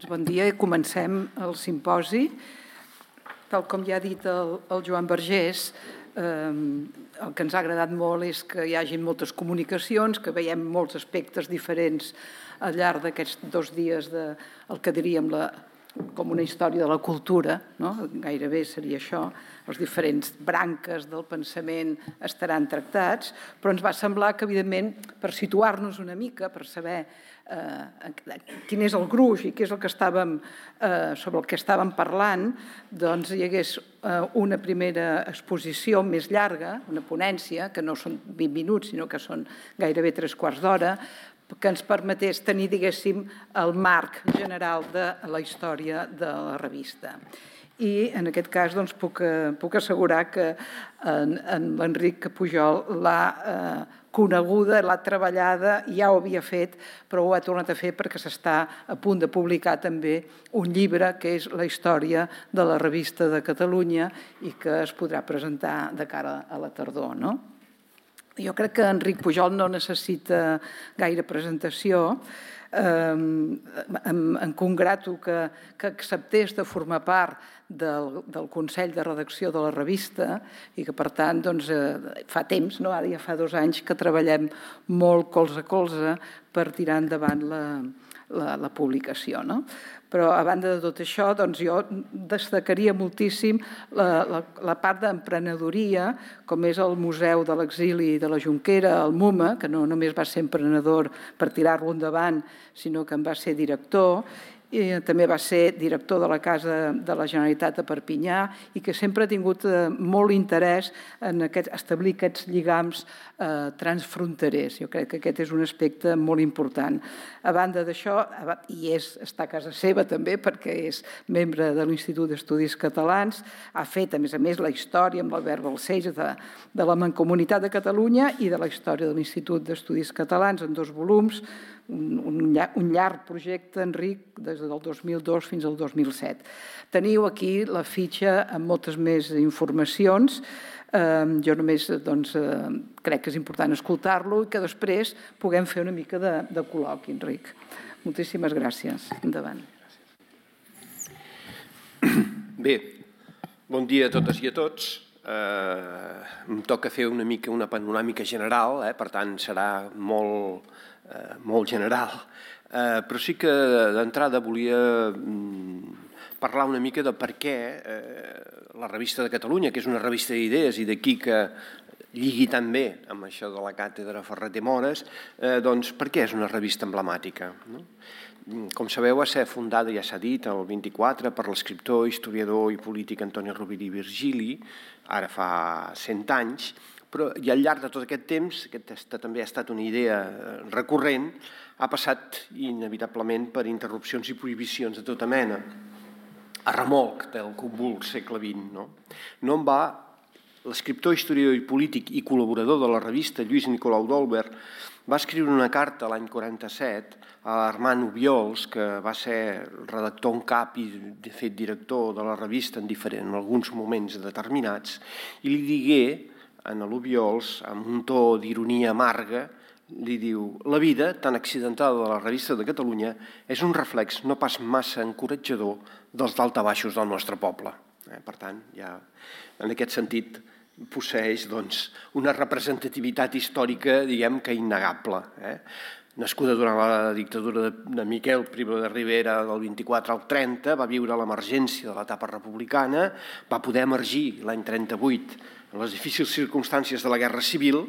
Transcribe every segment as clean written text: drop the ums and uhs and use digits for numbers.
Bon dia i comencem el simposi. Tal com ja ha dit el Joan Vergés, el que ens ha agradat molt és que hi hagi moltes comunicacions, que veiem molts aspectes diferents al llarg d'aquests 2 dies del que diríem com una història de la cultura, no? Gairebé seria això, les diferents branques del pensament estaran tractats, però ens va semblar que, evidentment, per situar-nos una mica, per saber quin és el gruix i què és el que sobre el que estàvem parlant, doncs hi hagués una primera exposició més llarga, una ponència, que no són 20 minuts, sinó que són gairebé 3/4 d'hora, que ens permetés tenir, diguéssim, el marc general de la història de la revista. I en aquest cas doncs, puc assegurar que l'Enric Pujol l'ha coneguda, l'ha treballada, ja ho havia fet, però ho ha tornat a fer perquè s'està a punt de publicar també un llibre que és la història de la revista de Catalunya i que es podrà presentar de cara a la tardor, no? Jo crec que Enric Pujol no necessita gaire presentació. Em congrato que acceptés de formar part del Consell de Redacció de la revista i que, per tant, fa temps, ara ja fa 2 anys, que treballem molt colze a colze per tirar endavant la publicació. Però, a banda de tot això, jo destacaria moltíssim la part d'emprenedoria, com és el Museu de l'Exili de la Jonquera, el MUMA, que no només va ser emprenedor per tirar-lo endavant, sinó que en va ser director, i també va ser director de la Casa de la Generalitat a Perpinyà i que sempre ha tingut molt interès en establir aquests lligams transfronterers. Jo crec que aquest és un aspecte molt important. A banda d'això, i està a casa seva també perquè és membre de l'Institut d'Estudis Catalans, ha fet, a més, la història amb l'Albert Balcells de la Mancomunitat de Catalunya i de la història de l'Institut d'Estudis Catalans en 2 volums, un llarg projecte, Enric, des del 2002 fins al 2007. Teniu aquí la fitxa amb moltes més informacions. Jo només crec que és important escoltar-lo i que després puguem fer una mica de col·loqui, Enric. Moltíssimes gràcies. Endavant. Bé, bon dia a totes i a tots. Em toca fer una mica una panoràmica general, per tant serà molt general, però sí que d'entrada volia parlar una mica de per què la revista de Catalunya, que és una revista d'idees i d'aquí que lligui tan bé amb això de la càtedra Ferret i Mores, doncs per què és una revista emblemàtica? Com sabeu, va ser fundada, ja s'ha dit, el 24 per l'escriptor, historiador i polític Antoni Rovira i Virgili, ara fa 100 anys, i al llarg de tot aquest temps, aquesta també ha estat una idea recurrent, ha passat inevitablement per interrupcions i prohibicions de tota mena, a remolc del convuls segle XX. No en va, l'escriptor, historiador i polític i col·laborador de la revista, Lluís Nicolau d'Olwer, va escriure una carta l'any 47 a Armand Obiols, que va ser redactor en cap i, de fet, director de la revista en alguns moments determinats, i li digué a l'Obiols, amb un to d'ironia amarga, li diu: la vida tan accidentada de la revista de Catalunya és un reflex no pas massa encoratjador dels daltabaixos del nostre poble. Per tant, ja en aquest sentit posseeix una representativitat històrica, diguem que innegable. Nascuda durant la dictadura de Miquel Primo de Rivera del 24 al 30, va viure l'emergència de l'etapa republicana, va poder emergir l'any 38 en les difícils circumstàncies de la Guerra Civil,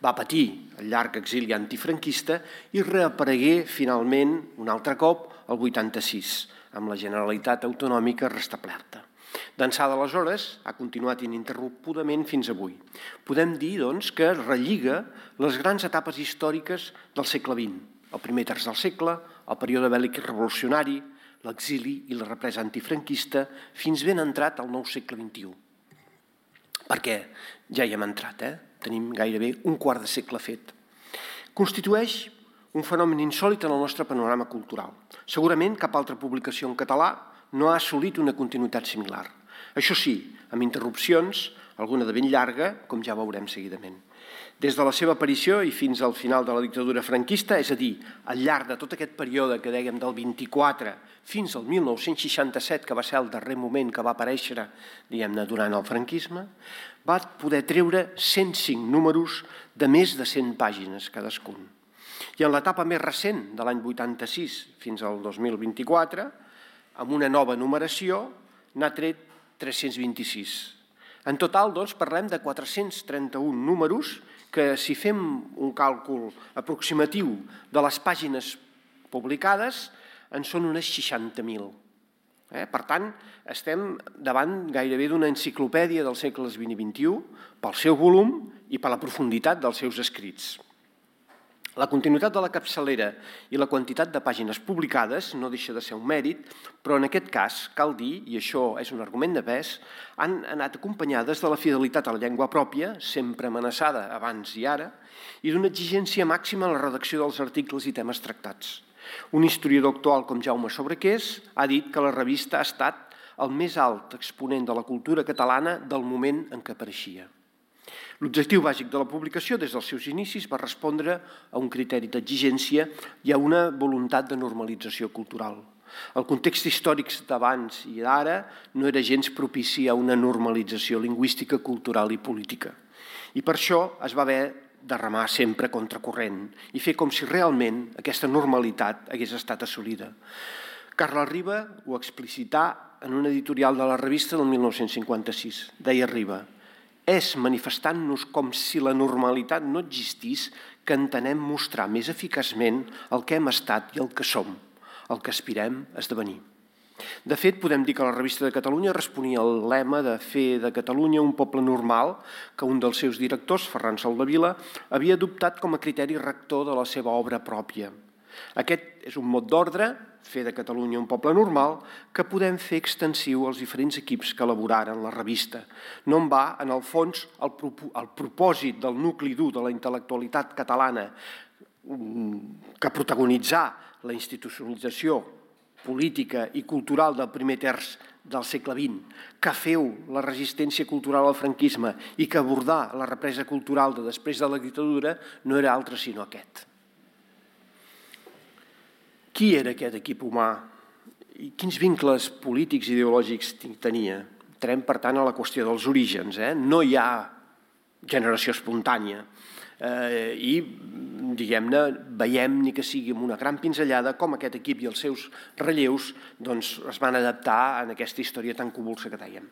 va patir el llarg exili antifranquista i reaparegué finalment un altre cop el 86, amb la Generalitat Autonòmica restablerta. D'ençà d'aleshores ha continuat ininterrompudament fins avui. Podem dir, doncs, que relliga les grans etapes històriques del segle XX, el primer terç del segle, el període bèl·lic i revolucionari, l'exili i la represa antifranquista, fins ben entrat al nou segle XXI. Perquè ja hi hem entrat, tenim gairebé un quart de segle fet. Constitueix un fenomen insòlit en el nostre panorama cultural. Segurament cap altra publicació en català no ha assolit una continuïtat similar. Això sí, amb interrupcions, alguna de ben llarga, com ja veurem seguidament. Des de la seva aparició i fins al final de la dictadura franquista, és a dir, al llarg de tot aquest període que dèiem del 24 fins al 1967, que va ser el darrer moment que va aparèixer, diguem-ne, durant el franquisme, va poder treure 105 números de més de 100 pàgines cadascun. I en l'etapa més recent, de l'any 86 fins al 2024, amb una nova numeració, n'ha tret 326. En total, doncs, parlem de 431 números que, si fem un càlcul aproximatiu de les pàgines publicades, en són unes 60.000. Per tant, estem davant gairebé d'una enciclopèdia dels segles XX i XXI pel seu volum i per la profunditat dels seus escrits. La continuïtat de la capçalera i la quantitat de pàgines publicades no deixa de ser un mèrit, però en aquest cas, cal dir, i això és un argument de pes, han anat acompanyades de la fidelitat a la llengua pròpia, sempre amenaçada abans i ara, i d'una exigència màxima en la redacció dels articles i temes tractats. Un historiador actual com Jaume Sobrequés ha dit que la revista ha estat el més alt exponent de la cultura catalana del moment en què apareixia. L'objectiu bàsic de la publicació des dels seus inicis va respondre a un criteri d'exigència i a una voluntat de normalització cultural. El context històric d'abans i d'ara no era gens propici a una normalització lingüística, cultural i política. I per això es va haver de remar sempre contracorrent i fer com si realment aquesta normalitat hagués estat assolida. Carles Riba ho explicità en un editorial de la revista del 1956. Deia Riba: és manifestant-nos com si la normalitat no existís que entenem mostrar més eficaçment el que hem estat i el que som, el que aspirem a esdevenir. De fet, podem dir que la Revista de Catalunya responia al lema de fer de Catalunya un poble normal que un dels seus directors, Ferran Soldevila, havia adoptat com a criteri rector de la seva obra pròpia. Aquest és un mot d'ordre, fer de Catalunya un poble normal, que podem fer extensiu als diferents equips que elaboraren la revista. No en va, en el fons, el propòsit del nucli dur de la intel·lectualitat catalana que protagonitzà la institucionalització política i cultural del primer terç del segle XX, que feu la resistència cultural al franquisme i que abordà la represa cultural de després de la dictadura, no era altre sinó aquest. Qui era aquest equip humà i quins vincles polítics i ideològics tenia? Entrem, per tant, a la qüestió dels orígens. No hi ha generació espontània i, diguem-ne, veiem, ni que sigui amb una gran pinzellada, com aquest equip i els seus relleus es van adaptar en aquesta història tan convulsa que dèiem.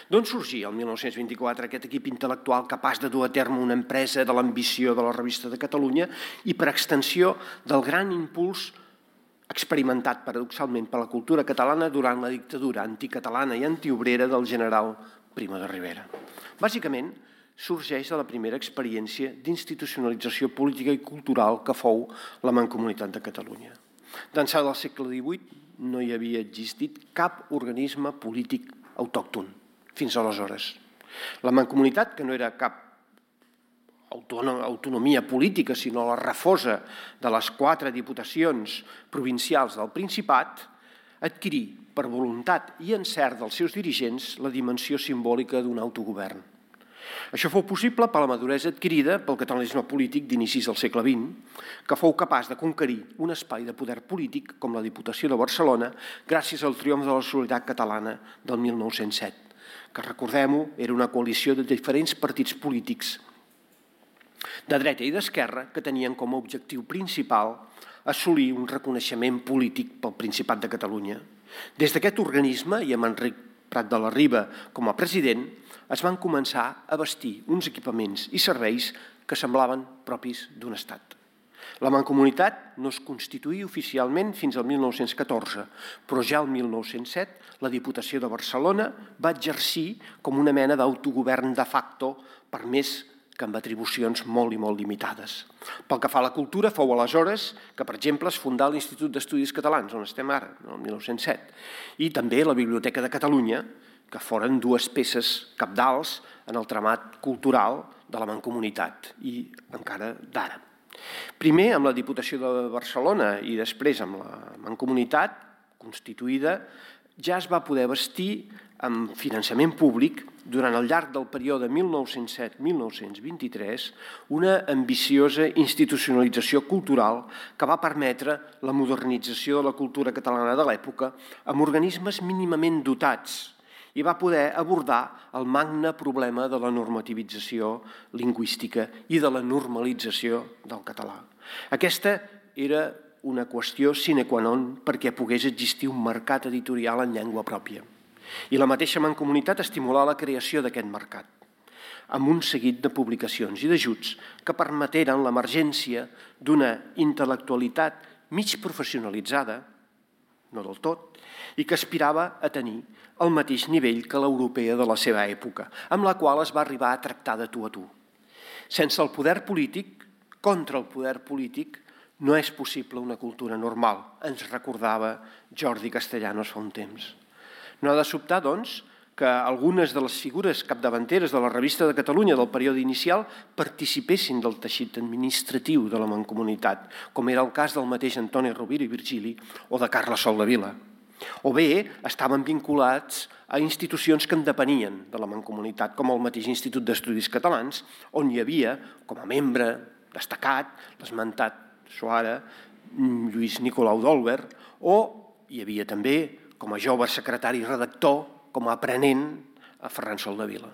D'on sorgia el 1924 aquest equip intel·lectual capaç de dur a terme una empresa de l'ambició de la Revista de Catalunya i, per extensió, del gran impuls experimentat paradoxalment per la cultura catalana durant la dictadura anticatalana i antiobrera del general Primo de Rivera. Bàsicament, sorgeix de la primera experiència d'institucionalització política i cultural que fou la Mancomunitat de Catalunya. D'ençà del segle XVIII no hi havia existit cap organisme polític autòcton fins aleshores. La Mancomunitat, que no era cap autonomia política, sinó la refosa de les 4 diputacions provincials del Principat, adquirí, per voluntat i encert dels seus dirigents, la dimensió simbòlica d'un autogovern. Això fou possible per la maduresa adquirida pel catalanisme polític d'inicis del segle XX, que fou capaç de conquerir un espai de poder polític com la Diputació de Barcelona gràcies al triomf de la solidaritat catalana del 1907, que, recordem-ho, era una coalició de diferents partits polítics de dreta i d'esquerra que tenien com a objectiu principal assolir un reconeixement polític pel Principat de Catalunya. Des d'aquest organisme, i amb Enric Prat de la Riba com a president, es van començar a bastir uns equipaments i serveis que semblaven propis d'un estat. La Mancomunitat no es constituïa oficialment fins al 1914, però ja el 1907 la Diputació de Barcelona va exercir com una mena d'autogovern de facto, per més que amb atribucions molt i molt limitades. Pel que fa a la cultura, fou aleshores que, per exemple, es fundà l'Institut d'Estudis Catalans, on estem ara, el 1907, i també la Biblioteca de Catalunya, que foren 2 peces cabdals en el tramat cultural de la Mancomunitat i encara d'ara. Primer amb la Diputació de Barcelona i després amb la Mancomunitat constituïda, ja es va poder bastir amb finançament públic durant el llarg del període 1907-1923, una ambiciosa institucionalització cultural que va permetre la modernització de la cultura catalana de l'època amb organismes mínimament dotats i va poder abordar el magne problema de la normativització lingüística i de la normalització del català. Aquesta era una qüestió sine qua non perquè pogués existir un mercat editorial en llengua pròpia. I la mateixa Mancomunitat estimulà la creació d'aquest mercat, amb un seguit de publicacions i d'ajuts que permeteren l'emergència d'una intel·lectualitat mig professionalitzada, no del tot, i que aspirava a tenir el mateix nivell que l'europea de la seva època, amb la qual es va arribar a tractar de tu a tu. Sense el poder polític, contra el poder polític, no és possible una cultura normal, ens recordava Jordi Castellanos fa un temps. No ha de sobtar, doncs, que algunes de les figures capdavanteres de la Revista de Catalunya del període inicial participessin del teixit administratiu de la Mancomunitat, com era el cas del mateix Antoni Rovira i Virgili o de Carles Soldevila. O bé estaven vinculats a institucions que en depenien de la Mancomunitat, com el mateix Institut d'Estudis Catalans, on hi havia, com a membre destacat, l'esmentat Suara, Lluís Nicolau d'Olwer, o hi havia també, com a jove secretari i redactor, com a aprenent, a Ferran Soldevila.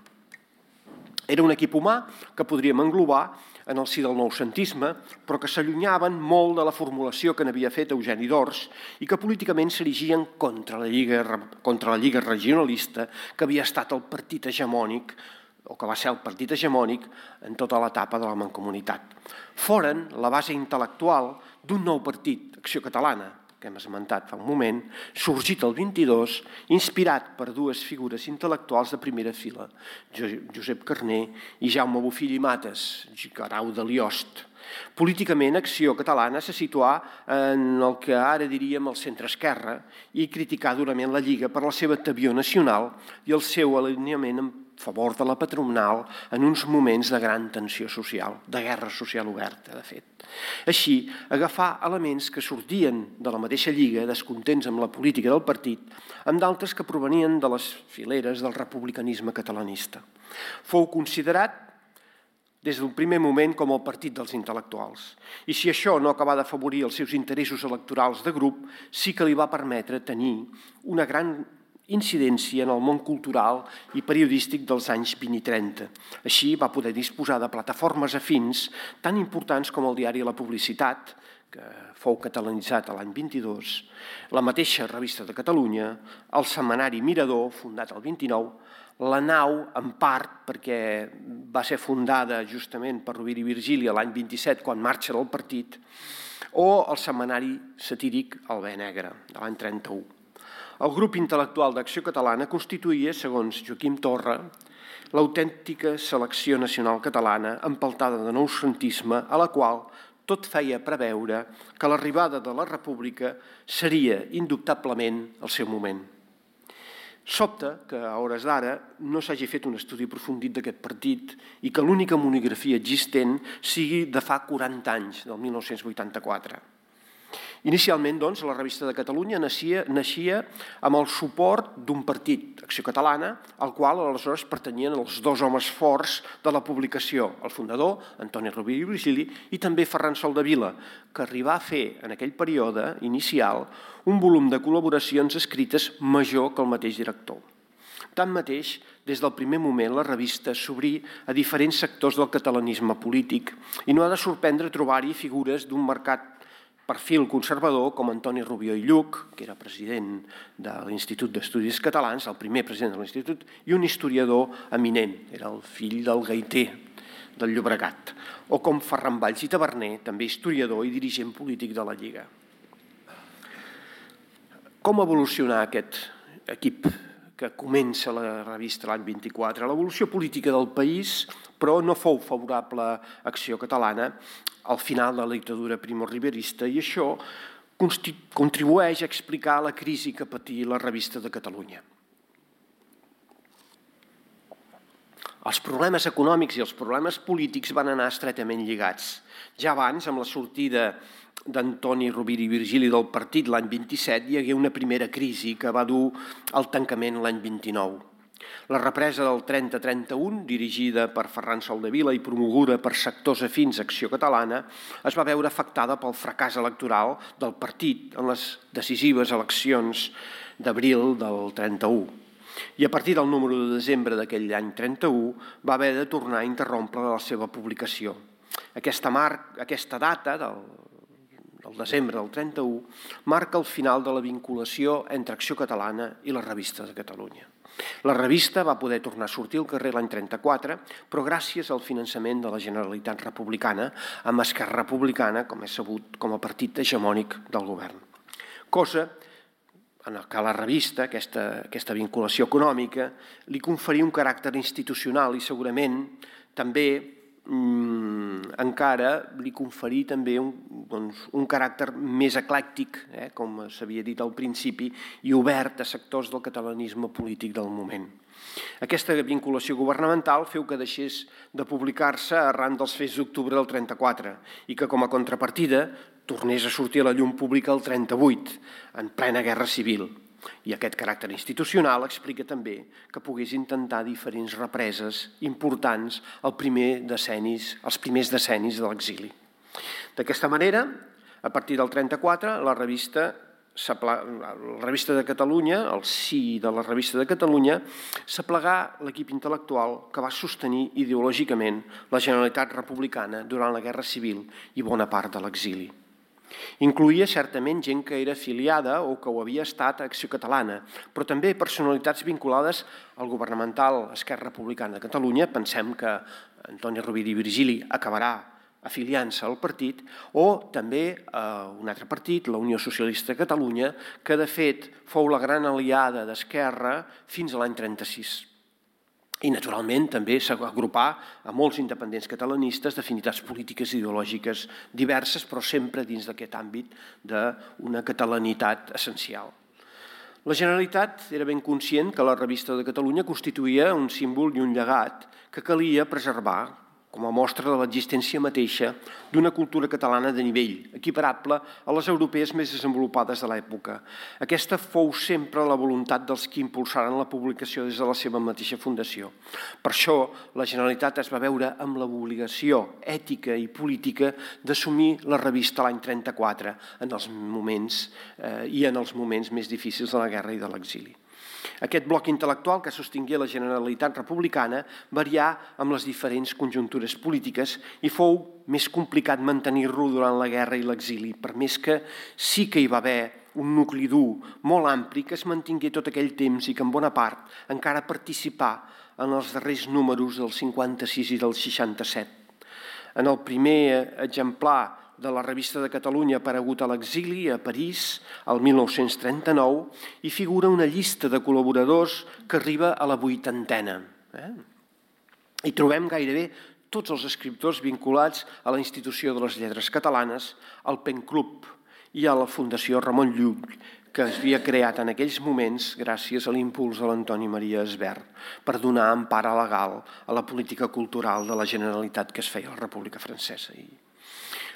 Era un equip humà que podríem englobar en el si del noucentisme, però que s'allunyaven molt de la formulació que n'havia fet Eugeni d'Ors i que políticament s'erigien contra la Lliga Regionalista, que havia estat el partit hegemònic, o que va ser el partit hegemònic en tota l'etapa de la Mancomunitat. Foren la base intel·lectual d'un nou partit, Acció Catalana, que hem esmentat fa un moment, sorgit el 22, inspirat per dues figures intel·lectuals de primera fila, Josep Carner i Jaume Bofill i Mates, Guerau de Liost. Políticament, Acció Catalana se situà en el que ara diríem el centre-esquerra i criticà durament la Lliga per la seva tebior nacional i el seu alineament en favor de la patronal en uns moments de gran tensió social, de guerra social oberta, de fet. Així, agafar elements que sortien de la mateixa Lliga, descontents amb la política del partit, amb d'altres que provenien de les fileres del republicanisme catalanista. Fou considerat des d'un primer moment com el partit dels intel·lectuals. I si això no acabà d'afavorir els seus interessos electorals de grup, sí que li va permetre tenir una gran incidència en el món cultural i periodístic dels anys 20 i 30. Així va poder disposar de plataformes afins tan importants com el diari La Publicitat, que fou catalanitzat l'any 22, la mateixa Revista de Catalunya, el setmanari Mirador, fundat el 29, la Nau, en part, perquè va ser fundada justament per Rovira i Virgili l'any 27, quan marxa del partit, o el setmanari satíric El Bé Negre, de l'any 31. El grup intel·lectual d'Acció Catalana constituïa, segons Joaquim Torra, l'autèntica selecció nacional catalana empeltada de noucentisme, a la qual tot feia preveure que l'arribada de la República seria indubtablement el seu moment. Sobta que a hores d'ara no s'hagi fet un estudi aprofundit d'aquest partit i que l'única monografia existent sigui de fa 40 anys, del 1984. Inicialment, doncs, la Revista de Catalunya naixia amb el suport d'un partit, Acció Catalana, al qual aleshores pertanyien els dos homes forts de la publicació, el fundador, Antoni Rovira i Virgili, i també Ferran Soldevila, que arribà a fer en aquell període inicial un volum de col·laboracions escrites major que el mateix director. Tanmateix, des del primer moment la revista s'obrí a diferents sectors del catalanisme polític i no ha de sorprendre trobar-hi figures d'un marcat perfil conservador com Antoni Rubió i Lluch, que era president de l'Institut d'Estudis Catalans, el primer president de l'Institut, i un historiador eminent, era el fill del gaiter del Llobregat, o com Ferran Valls i Taverner, també historiador i dirigent polític de la Lliga. Com evolucionar aquest equip que comença la revista l'any 24? L'evolució política del país, però no fou favorable a Acció Catalana al final de la dictadura primorriberista i això contribueix a explicar la crisi que patí la Revista de Catalunya. Els problemes econòmics i els problemes polítics van anar estretament lligats. Ja abans, amb la sortida d'Antoni Rovira i Virgili del partit l'any 27, hi hagué una primera crisi que va dur al tancament l'any 29. La represa del 30-31, dirigida per Ferran Soldevila i promoguda per sectors afins a Acció Catalana, es va veure afectada pel fracàs electoral del partit en les decisives eleccions d'abril del 31. I a partir del número de desembre d'aquell any 31 va haver de tornar a interrompre la seva publicació. Aquesta data, del desembre del 31, marca el final de la vinculació entre Acció Catalana i la Revista de Catalunya. La revista va poder tornar a sortir al carrer l'any 34, però gràcies al finançament de la Generalitat Republicana, amb Esquerra Republicana, com és sabut, com a partit hegemònic del govern. Cosa en què la revista, aquesta vinculació econòmica, li conferia un caràcter institucional i segurament també encara li conferir també un caràcter més eclèctic, com s'havia dit al principi, i obert a sectors del catalanisme polític del moment. Aquesta vinculació governamental feu que deixés de publicar-se arran dels fets d'octubre del 34 i que com a contrapartida tornés a sortir a la llum pública el 38, en plena guerra civil. I aquest caràcter institucional explica també que pogués intentar diferents represes importants els primers decennis de l'exili. D'aquesta manera, a partir del 34, la revista de Catalunya, el sí de la Revista de Catalunya, s'aplegà l'equip intel·lectual que va sostenir ideològicament la Generalitat Republicana durant la Guerra Civil i bona part de l'exili. Incloïa certament gent que era afiliada o que ho havia estat a Acció Catalana, però també personalitats vinculades al governamental Esquerra Republicana de Catalunya. Pensem que Antoni Rovira i Virgili acabarà afiliant-se al partit, o també a un altre partit, la Unió Socialista de Catalunya, que de fet fou la gran aliada d'Esquerra fins a l'any 36. I, naturalment, també s'agrupà a molts independents catalanistes d'afinitats polítiques i ideològiques diverses, però sempre dins d'aquest àmbit d'una catalanitat essencial. La Generalitat era ben conscient que la Revista de Catalunya constituïa un símbol i un llegat que calia preservar com a mostra de l'existència mateixa d'una cultura catalana de nivell, equiparable a les europees més desenvolupades de l'època. Aquesta fou sempre la voluntat dels que impulsaren la publicació des de la seva mateixa fundació. Per això, la Generalitat es va veure amb l'obligació ètica i política d'assumir la revista l'any 34 en els moments més difícils de la guerra i de l'exili. Aquest bloc intel·lectual que sostingué la Generalitat Republicana varià amb les diferents conjuntures polítiques i fou més complicat mantenir-lo durant la guerra i l'exili, per més que sí que hi va haver un nucli dur molt ampli que es mantingué tot aquell temps i que en bona part encara participà en els darrers números del 56 i del 67. En el primer exemplar de la Revista de Catalunya aparegut a l'exili a París el 1939 hi figura una llista de col·laboradors que arriba a la 80a. Hi trobem gairebé tots els escriptors vinculats a la Institució de les Lletres Catalanes, al PEN Club i a la Fundació Ramon Llull, que es havia creat en aquells moments gràcies a l'impuls de l'Antoni Maria Esbert per donar empara legal a la política cultural de la Generalitat que es feia a la República Francesa.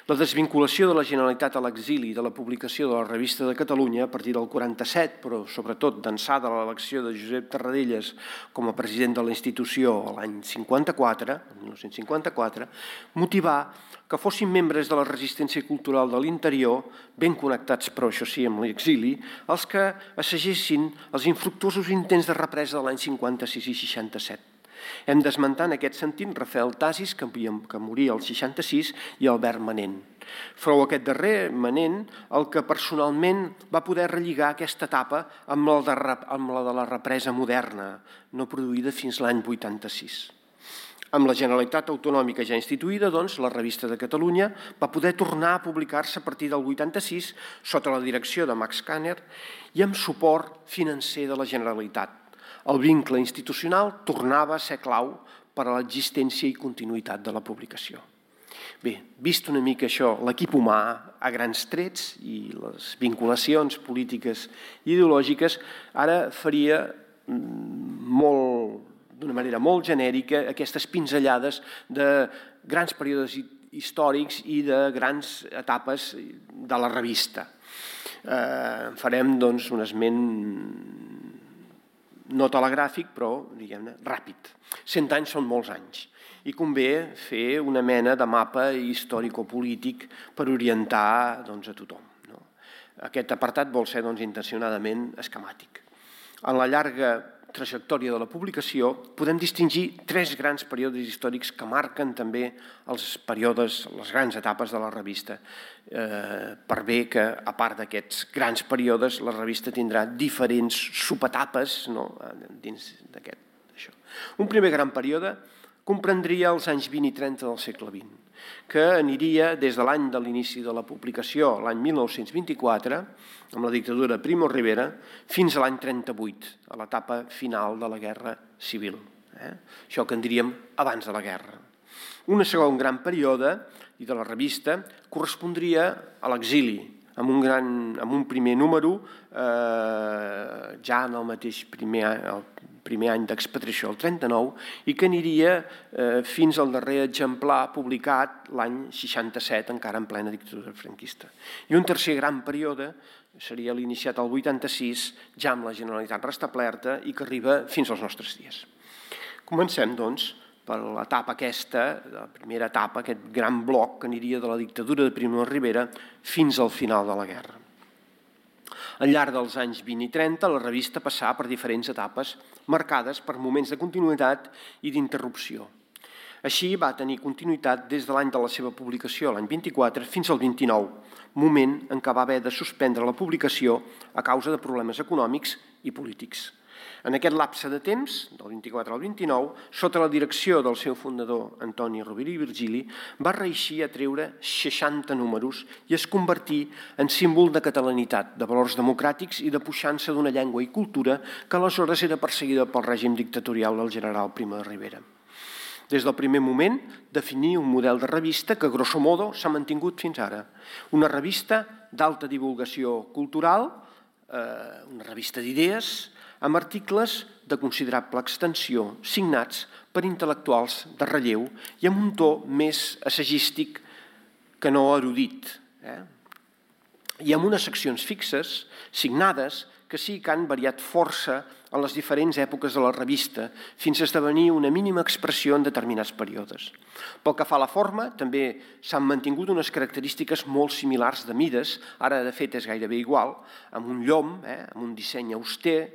La desvinculació de la Generalitat a l'exili de la publicació de la Revista de Catalunya a partir del 47, però sobretot d'ençà de l'elecció de Josep Tarradellas com a president de la institució l'any 1954, motivà que fossin membres de la resistència cultural de l'interior, ben connectats però això sí amb l'exili, els que assagessin els infructuosos intents de represa de l'any 56 i 67. Hem d'esmentar en aquest sentit Rafael Tasis, que moria al 66, i Albert Manent. Fou aquest darrer, Manent, el que personalment va poder relligar aquesta etapa amb la de la represa moderna, no produïda fins l'any 86. Amb la Generalitat Autonòmica ja instituïda, doncs, la Revista de Catalunya va poder tornar a publicar-se a partir del 86 sota la direcció de Max Kanner i amb suport financer de la Generalitat. El vincle institucional tornava a ser clau per a l'existència i continuïtat de la publicació. Bé, vist una mica això, l'equip humà a grans trets i les vinculacions polítiques i ideològiques, ara faria d'una manera molt genèrica aquestes pinzellades de grans períodes històrics i de grans etapes de la revista. Farem, doncs, un esment no telegràfic, però, diguem-ne, ràpid. 100 anys són molts anys i convé fer una mena de mapa històrico-polític per orientar a tothom. Aquest apartat vol ser intencionadament esquemàtic. En la llarga trajectòria de la publicació podem distingir 3 grans períodes històrics que marquen també els períodes, les grans etapes de la revista. Per bé que, a part d'aquests grans períodes, la revista tindrà diferents subetapes dins d'aquest. Un primer gran període comprendria els anys 20 i 30 del segle XX, que aniria des de l'any de l'inici de la publicació, l'any 1924, amb la dictadura de Primo de Rivera, fins a l'any 38, a l'etapa final de la Guerra Civil. Això que en diríem abans de la guerra. Un segon gran període, i de la revista, correspondria a l'exili, amb un primer número, ja en el mateix primer any d'expatriació, el 39, i que aniria fins al darrer exemplar publicat l'any 67, encara en plena dictadura franquista. I un tercer gran període seria l'iniciat al 86, ja amb la Generalitat restablerta i que arriba fins als nostres dies. Comencem, doncs, per l'etapa aquesta, la primera etapa, aquest gran bloc que aniria de la dictadura de Primo de Rivera fins al final de la guerra. Al llarg dels anys 20 i 30, la revista passà per diferents etapes marcades per moments de continuïtat i d'interrupció. Així va tenir continuïtat des de l'any de la seva publicació, l'any 24, fins al 29, moment en què va haver de suspendre la publicació a causa de problemes econòmics i polítics. En aquest lapse de temps, del 24 al 29, sota la direcció del seu fundador, Antoni Rovira i Virgili, va reeixir a treure 60 números i es convertí en símbol de catalanitat, de valors democràtics i de puixança d'una llengua i cultura que aleshores era perseguida pel règim dictatorial del general Primo de Rivera. Des del primer moment, definir un model de revista que, grosso modo, s'ha mantingut fins ara. Una revista d'alta divulgació cultural, una revista d'idees, amb articles de considerable extensió, signats per intel·lectuals de relleu i amb un to més assagístic que no erudit. I amb unes seccions fixes, signades, que sí que han variat força en les diferents èpoques de la revista, fins a esdevenir una mínima expressió en determinats períodes. Pel que fa a la forma, també s'han mantingut unes característiques molt similars de mides, ara de fet és gairebé igual, amb un llom, amb un disseny auster,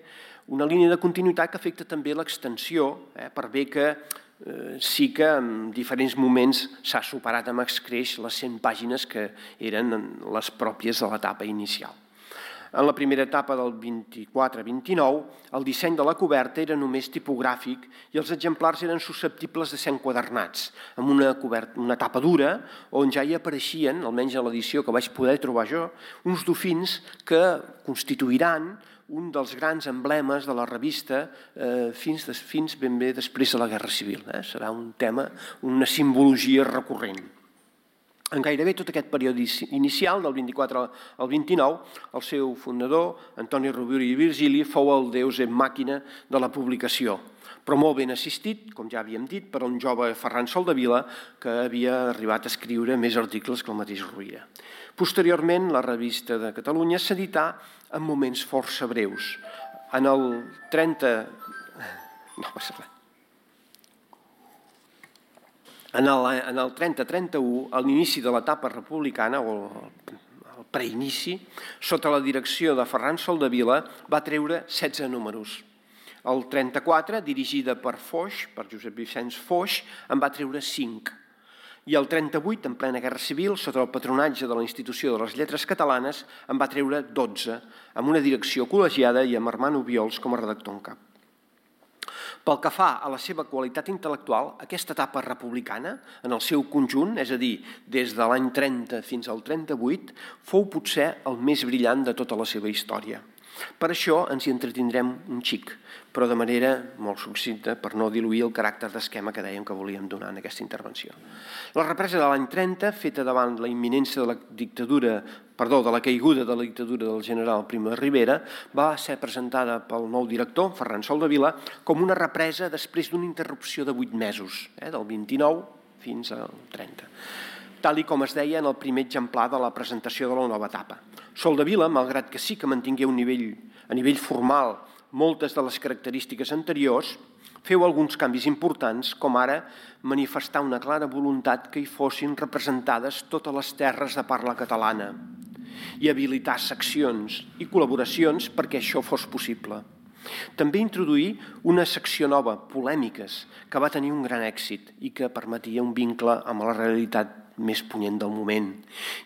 una línia de continuïtat que afecta també l'extensió, per bé que sí que en diferents moments s'ha superat amb escreix les 100 pàgines que eren les pròpies de l'etapa inicial. En la primera etapa del 24-29, el disseny de la coberta era només tipogràfic i els exemplars eren susceptibles de ser enquadernats, amb una tapa dura on ja hi apareixien, almenys a l'edició que vaig poder trobar jo, uns dofins que constituiran un dels grans emblemes de la revista fins ben bé després de la Guerra Civil. Serà un tema, una simbologia recurrent. En gairebé tot aquest període inicial, del 24 al 29, el seu fundador, Antoni Rovira i Virgili, fou el deus en màquina de la publicació, però molt ben assistit, com ja havíem dit, per un jove Ferran Soldevila que havia arribat a escriure més articles que el mateix Rovira. Posteriorment, la revista de Catalunya s'edità en moments força breus. En el 30... No passa res. En el 30-31, a l'inici de l'etapa republicana, o el preinici, sota la direcció de Ferran Soldevila, va treure 16 números. El 34, dirigida per Foix, per Josep Vicenç Foix, en va treure 5. I el 38, en plena Guerra Civil, sota el patronatge de la Institució de les Lletres Catalanes, en va treure 12, amb una direcció col·legiada i amb Armand Obiols com a redactor en cap. Pel que fa a la seva qualitat intel·lectual, aquesta etapa republicana, en el seu conjunt, és a dir, des de l'any 30 fins al 38, fou potser el més brillant de tota la seva història. Per això ens hi entretindrem un xic, però de manera molt succinta per no diluir el caràcter d'esquema que dèiem que volíem donar en aquesta intervenció. La represa de l'any 30, feta davant la imminència de la caiguda de la dictadura del general Primo de Rivera, va ser presentada pel nou director, Ferran Soldevila, com una represa després d'una interrupció de 8 mesos, del 29 fins al 30. Tal com es deia en el primer exemplar de la presentació de la nova etapa. Soldevila, malgrat que sí que mantingué a nivell formal moltes de les característiques anteriors, feu alguns canvis importants, com ara manifestar una clara voluntat que hi fossin representades totes les terres de parla catalana i habilitar seccions i col·laboracions perquè això fos possible. També introduir una secció nova, polèmiques, que va tenir un gran èxit i que permetia un vincle amb la realitat més punyent del moment.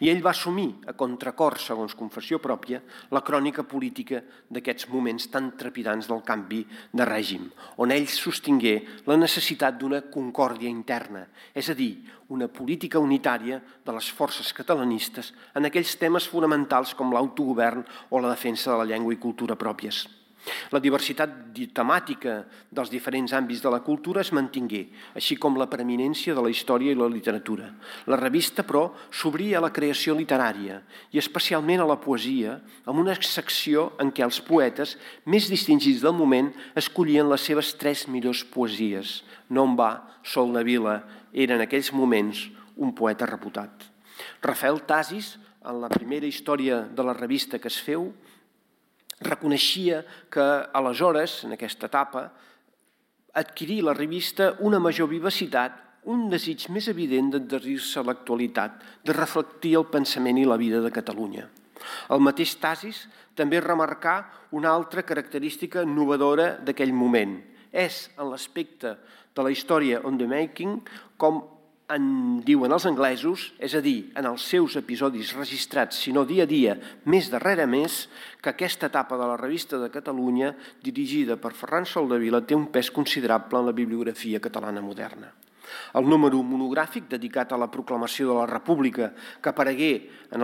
I ell va assumir, a contracor, segons confessió pròpia, la crònica política d'aquests moments tan trepidants del canvi de règim, on ell sostingué la necessitat d'una concòrdia interna, és a dir, una política unitària de les forces catalanistes en aquells temes fonamentals com l'autogovern o la defensa de la llengua i cultura pròpies. La diversitat temàtica dels diferents àmbits de la cultura es mantingué, així com la preeminència de la història i la literatura. La revista, però, s'obria a la creació literària i especialment a la poesia, amb una secció en què els poetes més distingits del moment escollien les seves 3 millors poesies. No en va, Soldevila era en aquells moments un poeta reputat. Rafael Tasis, en la primera història de la revista que es feu, reconeixia que aleshores, en aquesta etapa, adquirir la revista una major vivacitat, un desig més evident d'adherir-se a l'actualitat, de reflectir el pensament i la vida de Catalunya. El mateix Tasis també remarcà una altra característica innovadora d'aquell moment. És, en l'aspecte de la història on the making, com en diuen els anglesos, és a dir, en els seus episodis registrats, sinó dia a dia, mes darrere mes, que aquesta etapa de la revista de Catalunya, dirigida per Ferran Soldevila, té un pes considerable en la bibliografia catalana moderna. El número monogràfic dedicat a la proclamació de la República, que aparegué en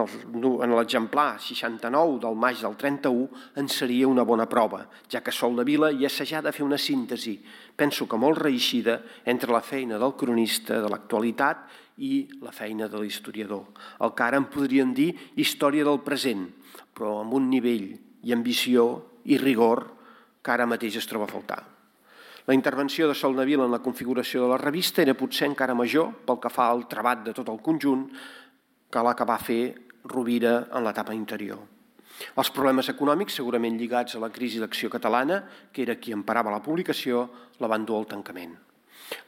l'exemplar 69 del maig del 31, en seria una bona prova, ja que Soldevila hi assajà de fer una síntesi, penso que molt reeixida, entre la feina del cronista de l'actualitat i la feina de l'historiador. El que ara en podríem dir història del present, però amb un nivell i ambició i rigor que ara mateix es troba a faltar. La intervenció de Soldevila en la configuració de la revista era potser encara major pel que fa al treball de tot el conjunt que la que va fer Rovira en l'etapa interior. Els problemes econòmics, segurament lligats a la crisi d'Acció Catalana, que era qui emparava la publicació, la van dur al tancament.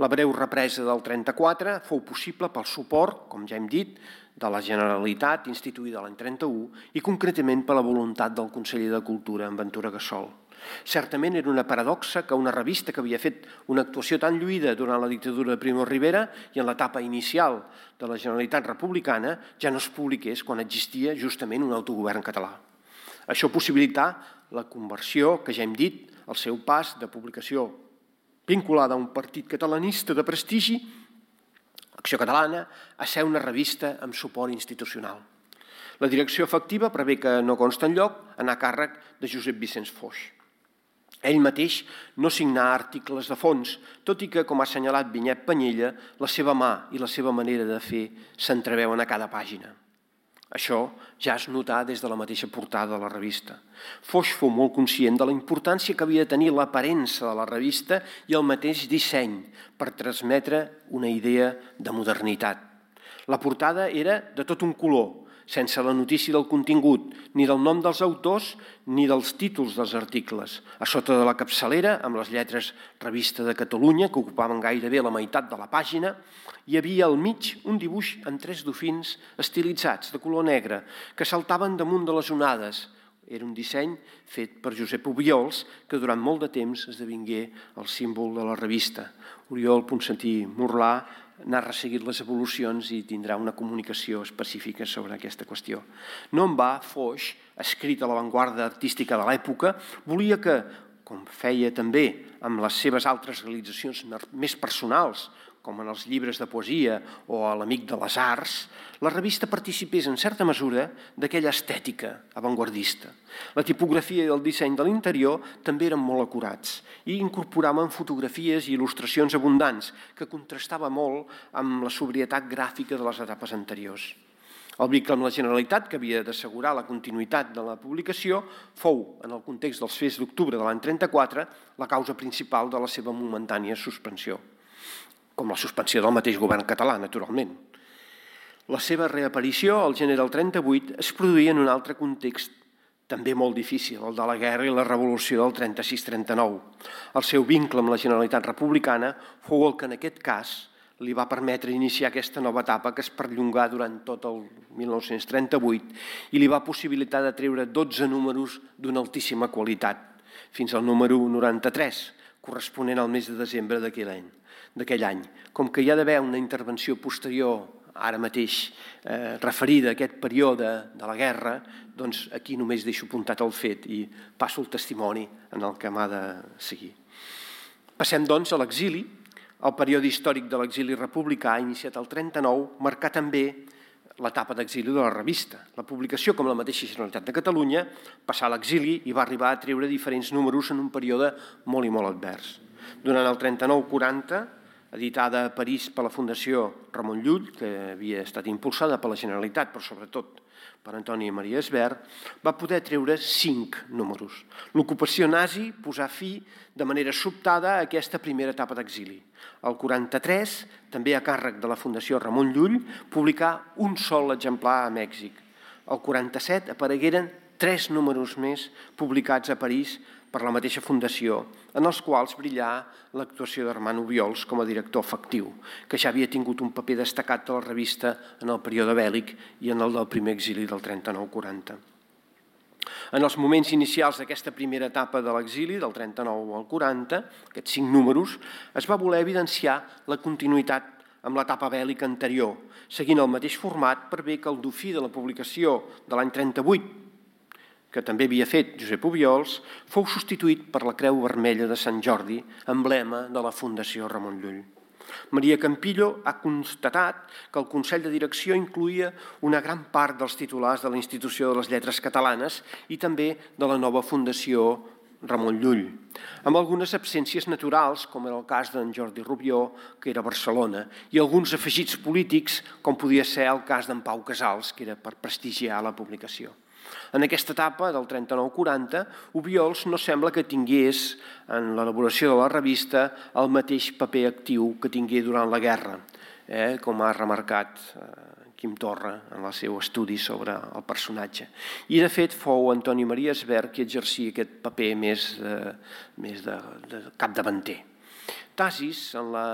La breu represa del 34 fou possible pel suport, com ja hem dit, de la Generalitat instituïda l'any 31 i concretament per la voluntat del conseller de Cultura, en Ventura Gassol. Certament era una paradoxa que una revista que havia fet una actuació tan lluïda durant la dictadura de Primo de Rivera i en l'etapa inicial de la Generalitat republicana ja no es publiqués quan existia justament un autogovern català. Això possibilità la conversió, que ja hem dit, el seu pas de publicació vinculada a un partit catalanista de prestigi, Acció Catalana, a ser una revista amb suport institucional. La direcció efectiva prevé que no consta enlloc anar a càrrec de Josep Vicenç Foix. Ell mateix no signà articles de fons, tot i que, com ha assenyalat Vinyet Panyella, la seva mà i la seva manera de fer s'entreveuen a cada pàgina. Això ja es notà des de la mateixa portada de la revista. Foix fou molt conscient de la importància que havia de tenir l'aparença de la revista i el mateix disseny per transmetre una idea de modernitat. La portada era de tot un color, sense la notícia del contingut, ni del nom dels autors ni dels títols dels articles. A sota de la capçalera, amb les lletres Revista de Catalunya, que ocupaven gairebé la meitat de la pàgina, hi havia al mig un dibuix amb 3 dofins estilitzats, de color negre, que saltaven damunt de les onades. Era un disseny fet per Josep Obiols, que durant molt de temps esdevingué el símbol de la revista. Oriol Ponsatí Morlà n'ha resseguit les evolucions i tindrà una comunicació específica sobre aquesta qüestió. No en va, Foix, escrit a l'avantguarda artística de l'època, volia que, com feia també amb les seves altres realitzacions més personals, com en els llibres de poesia o a l'Amic de les Arts, la revista participés en certa mesura d'aquella estètica avantguardista. La tipografia i el disseny de l'interior també eren molt acurats i incorporaven fotografies i il·lustracions abundants que contrastava molt amb la sobrietat gràfica de les etapes anteriors. El vincle amb la Generalitat, que havia d'assegurar la continuïtat de la publicació, fou, en el context dels fets d'octubre de l'any 34, la causa principal de la seva momentània suspensió, com la suspensió del mateix govern català, naturalment. La seva reaparició, al gener del 38, es produïa en un altre context també molt difícil, el de la guerra i la revolució del 36-39. El seu vincle amb la Generalitat Republicana fou el que en aquest cas li va permetre iniciar aquesta nova etapa que es perllongà durant tot el 1938 i li va possibilitar de treure 12 números d'una altíssima qualitat, fins al número 93, corresponent al mes de desembre d'aquell any. Com que hi ha d'haver una intervenció posterior, ara mateix referida a aquest període de la guerra, doncs aquí només deixo apuntat el fet i passo el testimoni en el que m'ha de seguir. Passem, doncs, a l'exili. El període històric de l'exili republicà, iniciat el 39, marcà també l'etapa d'exili de la revista. La publicació, com la mateixa Generalitat de Catalunya, passà a l'exili i va arribar a treure diferents números en un període molt i molt advers. Durant el 39-40, editada a París per la Fundació Ramon Llull, que havia estat impulsada per la Generalitat, però sobretot per Antoni Maria Esbert, va poder treure 5 números. L'ocupació nazi posà fi de manera sobtada a aquesta primera etapa d'exili. El 43, també a càrrec de la Fundació Ramon Llull, publicà un sol exemplar a Mèxic. El 47 aparegueren 3 números més publicats a París per la mateixa fundació, en els quals brillà l'actuació d'Armand Obiols com a director efectiu, que ja havia tingut un paper destacat de la revista en el període bèl·lic i en el del primer exili del 39-40. En els moments inicials d'aquesta primera etapa de l'exili, del 39 al 40, aquests 5 números, es va voler evidenciar la continuïtat amb l'etapa bèl·lica anterior, seguint el mateix format per bé que el dofí de la publicació de l'any 38, que també havia fet Josep Obiols, fou substituït per la Creu Vermella de Sant Jordi, emblema de la Fundació Ramon Llull. Maria Campillo ha constatat que el Consell de Direcció incloïa una gran part dels titulars de la Institució de les Lletres Catalanes i també de la nova Fundació Ramon Llull, amb algunes absències naturals, com era el cas d'en Jordi Rubió, que era a Barcelona, i alguns afegits polítics, com podia ser el cas d'en Pau Casals, que era per prestigiar la publicació. En aquesta etapa, del 39-40, Obiols no sembla que tingués en l'elaboració de la revista el mateix paper actiu que tingué durant la guerra, com ha remarcat Quim Torra en el seu estudi sobre el personatge. I, de fet, fou Antoni Maria Esbert qui exercia aquest paper més de capdavanter. Tasis, en la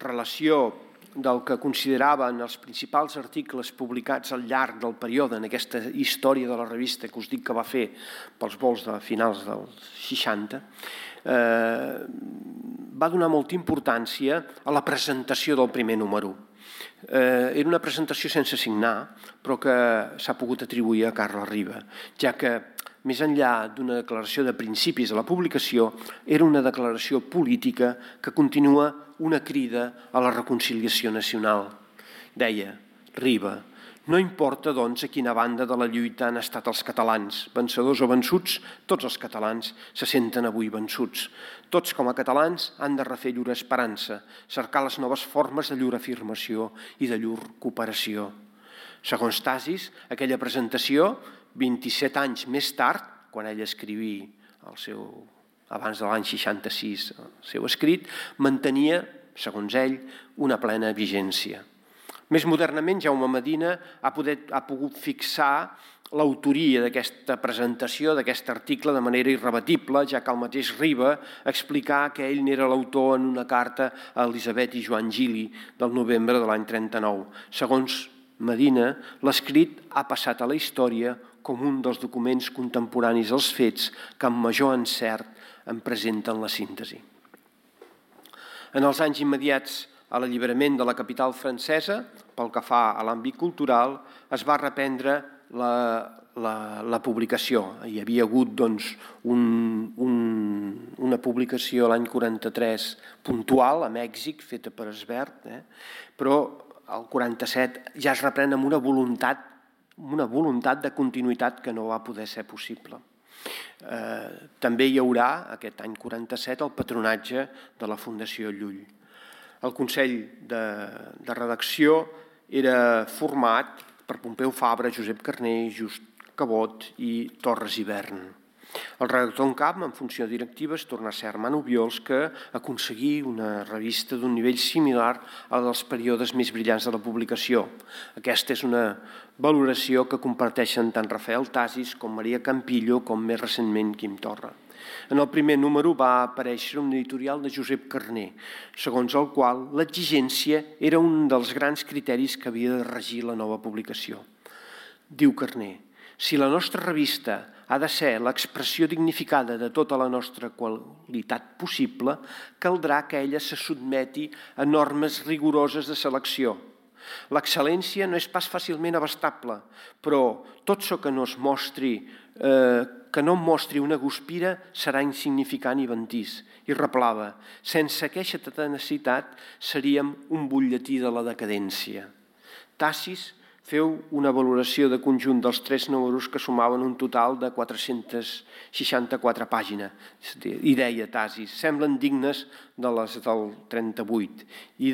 relació del que consideraven els principals articles publicats al llarg del període en aquesta història de la revista que us dic que va fer pels vols de finals dels 60, va donar molta importància a la presentació del primer número. Era una presentació sense signar, però que s'ha pogut atribuir a Carles Riba, ja que més enllà d'una declaració de principis de la publicació, era una declaració política que continua una crida a la reconciliació nacional. Deia Riba: no importa, doncs, a quina banda de la lluita han estat els catalans, vencedors o vençuts, tots els catalans se senten avui vençuts. Tots, com a catalans, han de refer llur esperança, cercar les noves formes de llur afirmació i de llur cooperació. Segons Tasis, aquella presentació, 27 anys més tard, quan ell escrivia abans de l'any 66 el seu escrit, mantenia, segons ell, una plena vigència. Més modernament, Jaume Medina ha pogut fixar l'autoria d'aquesta presentació, d'aquest article, de manera irrebatible, ja que el mateix Riba explicà que ell n'era l'autor en una carta a Elisabet i Joan Gili del novembre de l'any 39. Segons Medina, l'escrit ha passat a la història com un dels documents contemporanis als fets que amb major encert en presenten la síntesi. En els anys immediats a l'alliberament de la capital francesa, pel que fa a l'àmbit cultural, es va reprendre la publicació. Hi havia hagut una publicació l'any 43 puntual a Mèxic, feta per Esbert, però el 47 ja es reprèn amb una voluntat de continuïtat que no va poder ser possible. També hi haurà, aquest any 47, el patronatge de la Fundació Llull. El Consell de Redacció era format per Pompeu Fabra, Josep Carner, Just Cabot i Torres Ivern. El redactor en cap, en funció directiva, es torna a ser Armand Obiols, que aconseguí una revista d'un nivell similar al dels períodes més brillants de la publicació. Aquesta és una valoració que comparteixen tant Rafael Tasis com Maria Campillo, com més recentment Quim Torra. En el primer número va aparèixer un editorial de Josep Carner, segons el qual l'exigència era un dels grans criteris que havia de regir la nova publicació. Diu Carner: si la nostra revista ha de ser l'expressió dignificada de tota la nostra qualitat possible, caldrà que ella se sotmeti a normes rigoroses de selecció. L'excel·lència no és pas fàcilment abastable, però tot això que no mostri una guspira serà insignificant i ventís. I replava: sense aquesta tenacitat seríem un butlletí de la decadència. Tasis feu una valoració de conjunt dels 3 números que sumaven un total de 464 pàgines. I deia Tasis: semblen dignes de les del 38 i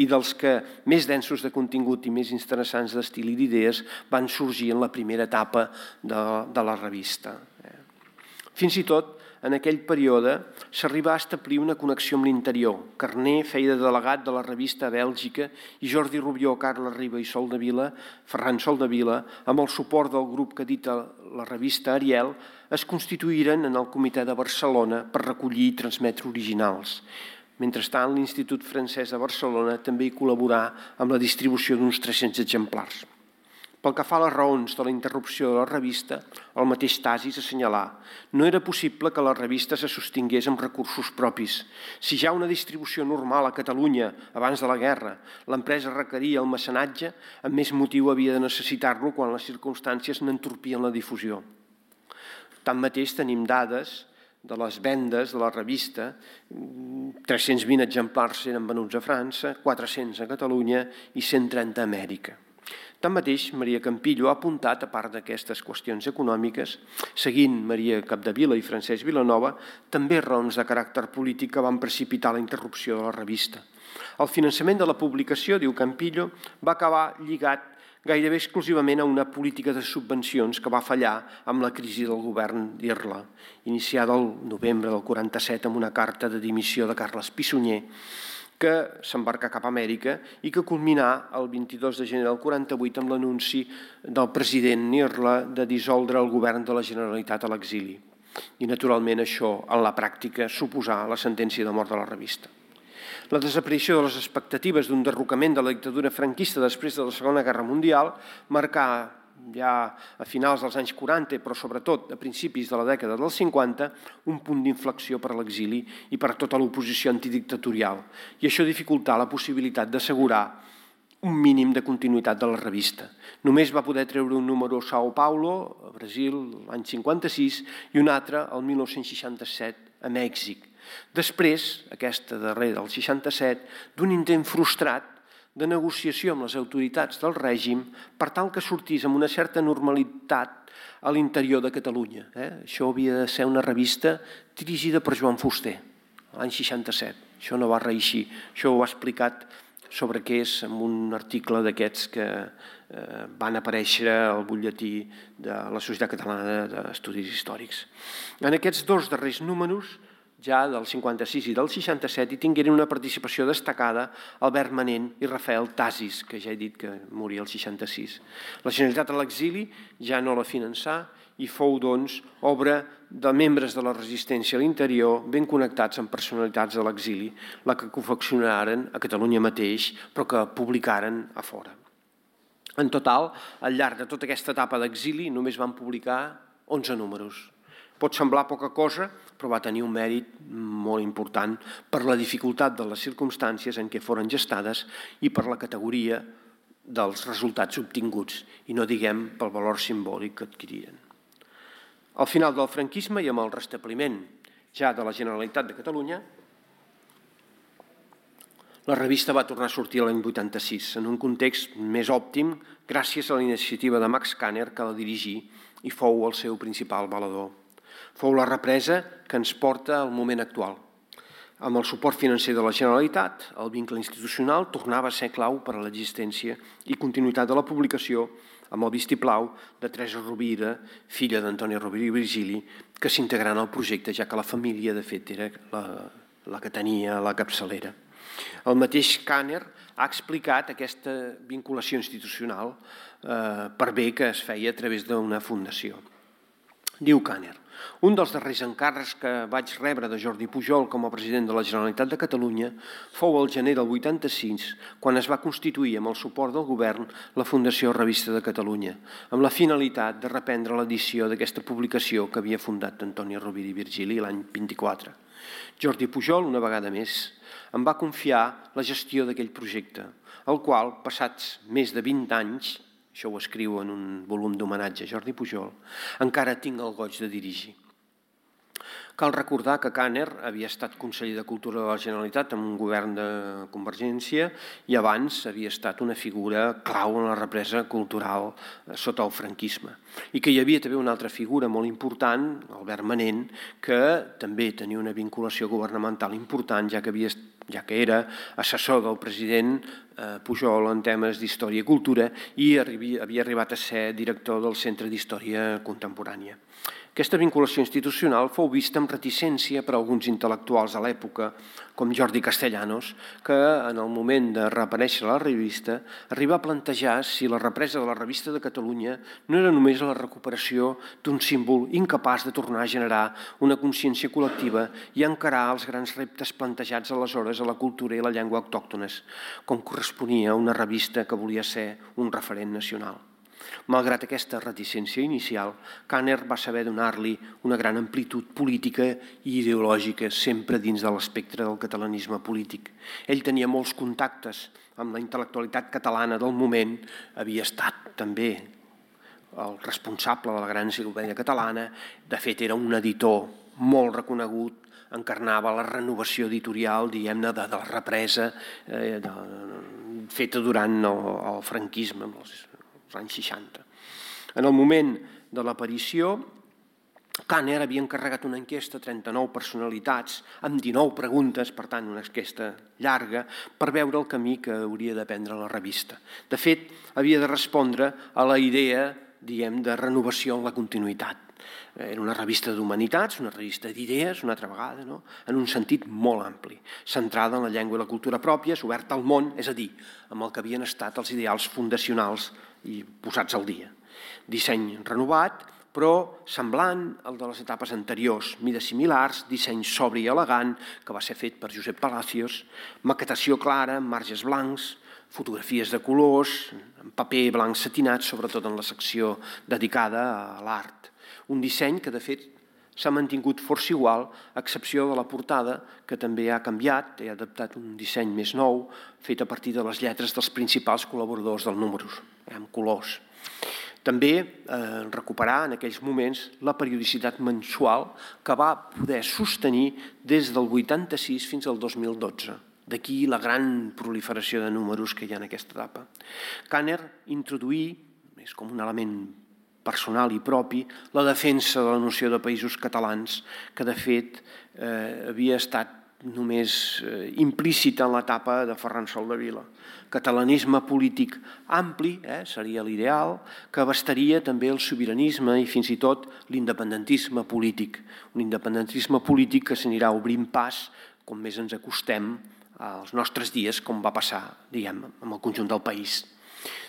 dels que més densos de contingut i més interessants d'estil i d'idees van sorgir en la primera etapa de la revista. Fins i tot, en aquell període, s'arriba a establir una connexió amb l'interior. Carner feia de delegat de la revista a Bèlgica i Jordi Rubió, Carles Riba i Ferran Soldevila, amb el suport del grup que edita la revista Ariel, es constituïren en el Comitè de Barcelona per recollir i transmetre originals. Mentrestant, l'Institut Francès de Barcelona també hi col·laborà amb la distribució d'uns 300 exemplars. Pel que fa a les raons de la interrupció de la revista, el mateix Tasis assenyalà: no era possible que la revista se sostingués amb recursos propis. Si ja una distribució normal a Catalunya abans de la guerra l'empresa requeria el mecenatge, amb més motiu havia de necessitar-lo quan les circumstàncies n'entorpien la difusió. Tanmateix, tenim dades de les vendes de la revista: 320 exemplars eren venuts a França, 400 a Catalunya i 130 a Amèrica. Tanmateix, Maria Campillo ha apuntat, a part d'aquestes qüestions econòmiques, seguint Maria Capdevila i Francesc Vilanova, també raons de caràcter polític que van precipitar la interrupció de la revista. El finançament de la publicació, diu Campillo, va acabar lligat gairebé exclusivament a una política de subvencions que va fallar amb la crisi del govern d'Irla, iniciada el novembre del 47 amb una carta de dimissió de Carles Pissunyer, que s'embarca cap a Amèrica i que culminà el 22 de gener del 48 amb l'anunci del president Irla de dissoldre el govern de la Generalitat a l'exili. I, naturalment, això, en la pràctica, suposà la sentència de mort de la revista. La desaparició de les expectatives d'un derrocament de la dictadura franquista després de la Segona Guerra Mundial marcà ja a finals dels anys 40, però sobretot a principis de la dècada dels 50, un punt d'inflexió per a l'exili i per a tota l'oposició antidictatorial. I això dificultà la possibilitat d'assegurar un mínim de continuïtat de la revista. Només va poder treure un número a São Paulo, a Brasil, l'any 56, i un altre, el 1967, a Mèxic. Després, aquesta darrera, el 67, d'un intent frustrat de negociació amb les autoritats del règim per tal que sortís amb una certa normalitat a l'interior de Catalunya. Això havia de ser una revista dirigida per Joan Fuster, l'any 67. Això no va reeixir. Això ho ha explicat sobre què és en un article d'aquests que van aparèixer al butlletí de la Societat Catalana d'Estudis Històrics. En aquests 2 darrers números, ja del 56 i del 67, hi tingueren una participació destacada Albert Manent i Rafael Tasis, que ja he dit que moria el 66. La Generalitat a l'exili ja no la finançà i fou, doncs, obra de membres de la resistència a l'interior ben connectats amb personalitats de l'exili, la que confeccionaren a Catalunya mateix, però que publicaren a fora. En total, al llarg de tota aquesta etapa d'exili, només van publicar 11 números. Pot semblar poca cosa, però va tenir un mèrit molt important per la dificultat de les circumstàncies en què foren gestades i per la categoria dels resultats obtinguts, i no diguem pel valor simbòlic que adquiriren. Al final del franquisme i amb el restabliment ja de la Generalitat de Catalunya, la revista va tornar a sortir l'any 86, en un context més òptim gràcies a la iniciativa de Max Kanner, que la dirigí i fou el seu principal valedor. Fou la represa que ens porta al moment actual. Amb el suport financer de la Generalitat, el vincle institucional tornava a ser clau per a l'existència i continuïtat de la publicació amb el vistiplau de Teresa Rovira, filla d'Antoni Rovira i Virgili, que s'integrà en el projecte, ja que la família, de fet, era la que tenia la capçalera. El mateix Kanner ha explicat aquesta vinculació institucional per bé que es feia a través d'una fundació. Diu Kanner: un dels darrers encàrrecs que vaig rebre de Jordi Pujol com a president de la Generalitat de Catalunya fou el gener del 86, quan es va constituir amb el suport del govern la Fundació Revista de Catalunya, amb la finalitat de reprendre l'edició d'aquesta publicació que havia fundat Antoni Rovira i Virgili l'any 24. Jordi Pujol, una vegada més, em va confiar la gestió d'aquell projecte, el qual, passats més de 20 anys, això ho escriu en un volum d'homenatge a Jordi Pujol, encara tinc el goig de dirigir. Cal recordar que Kanner havia estat conseller de Cultura de la Generalitat en un govern de Convergència i abans havia estat una figura clau en la represa cultural sota el franquisme. I que hi havia també una altra figura molt important, Albert Manent, que també tenia una vinculació governamental important, ja que era assessor del president Pujol en temes d'història i cultura i havia arribat a ser director del Centre d'Història Contemporània. Aquesta vinculació institucional fou vista amb reticència per alguns intel·lectuals a l'època, com Jordi Castellanos, que en el moment de reaparèixer la revista arriba a plantejar si la represa de la Revista de Catalunya no era només la recuperació d'un símbol incapaç de tornar a generar una consciència col·lectiva i encarar els grans reptes plantejats aleshores a la cultura i la llengua autòctones, com corresponia a una revista que volia ser un referent nacional. Malgrat aquesta reticència inicial, Kanner va saber donar-li una gran amplitud política i ideològica sempre dins de l'espectre del catalanisme polític. Ell tenia molts contactes amb la intel·lectualitat catalana del moment, havia estat també el responsable de la gran enciclopèdia catalana, de fet era un editor molt reconegut, encarnava la renovació editorial, diguem-ne, de la represa feta durant el franquisme, els anys 60. En el moment de l'aparició, Kanner havia encarregat una enquesta a 39 personalitats amb 19 preguntes, per tant una enquesta llarga, per veure el camí que hauria de prendre la revista. De fet, havia de respondre a la idea, diguem, de renovació en la continuïtat. Era una revista d'humanitats, una revista d'idees, una altra vegada, no? En un sentit molt ampli, centrada en la llengua i la cultura pròpies, oberta al món, és a dir, amb el que havien estat els ideals fundacionals i posats al dia. Disseny renovat, però semblant al de les etapes anteriors, mides similars, disseny sobri i elegant, que va ser fet per Josep Palacios, maquetació clara, marges blancs, fotografies de colors, en paper blanc satinat, sobretot en la secció dedicada a l'art. Un disseny que, de fet, s'ha mantingut força igual, a excepció de la portada, que també ha canviat, ha adaptat un disseny més nou, fet a partir de les lletres dels principals col·laboradors del Números, amb colors. També recuperar en aquells moments la periodicitat mensual que va poder sostenir des del 86 fins al 2012. D'aquí la gran proliferació de números que hi ha en aquesta etapa. Kanner introduí, és com un element personal i propi, la defensa de la noció de països catalans, que de fet havia estat només implícita en l'etapa de Ferran Soldevila. Catalanisme polític ampli, seria l'ideal, que abastaria també el sobiranisme i fins i tot l'independentisme polític. Un independentisme polític que s'anirà obrint pas com més ens acostem als nostres dies, com va passar, diguem, amb el conjunt del país.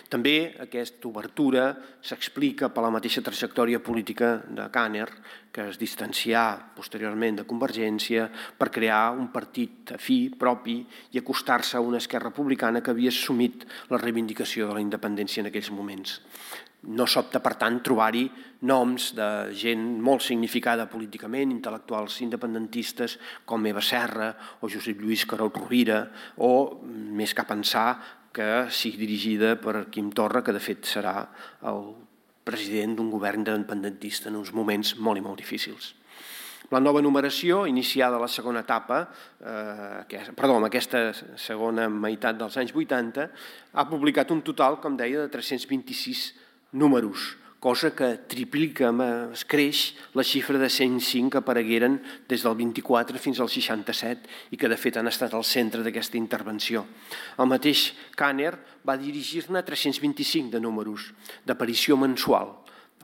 També aquesta obertura s'explica per la mateixa trajectòria política de Kanner, que es distancià posteriorment de Convergència per crear un partit afí propi i acostar-se a una esquerra republicana que havia assumit la reivindicació de la independència en aquells moments. No sobta, per tant, trobar-hi noms de gent molt significada políticament, intel·lectuals independentistes com Eva Serra o Josep Lluís Carol Rovira, o més que pensar que sigui dirigida per Quim Torra, que de fet serà el president d'un govern independentista en uns moments molt i molt difícils. La nova numeració, iniciada a la segona etapa, en aquesta segona meitat dels anys 80, ha publicat un total, com deia, de 326 números, cosa que triplica, es creix la xifra de 105 que aparegueren des del 24 fins al 67 i que de fet han estat al centre d'aquesta intervenció. El mateix Kanner va dirigir-ne 325 de números d'aparició mensual,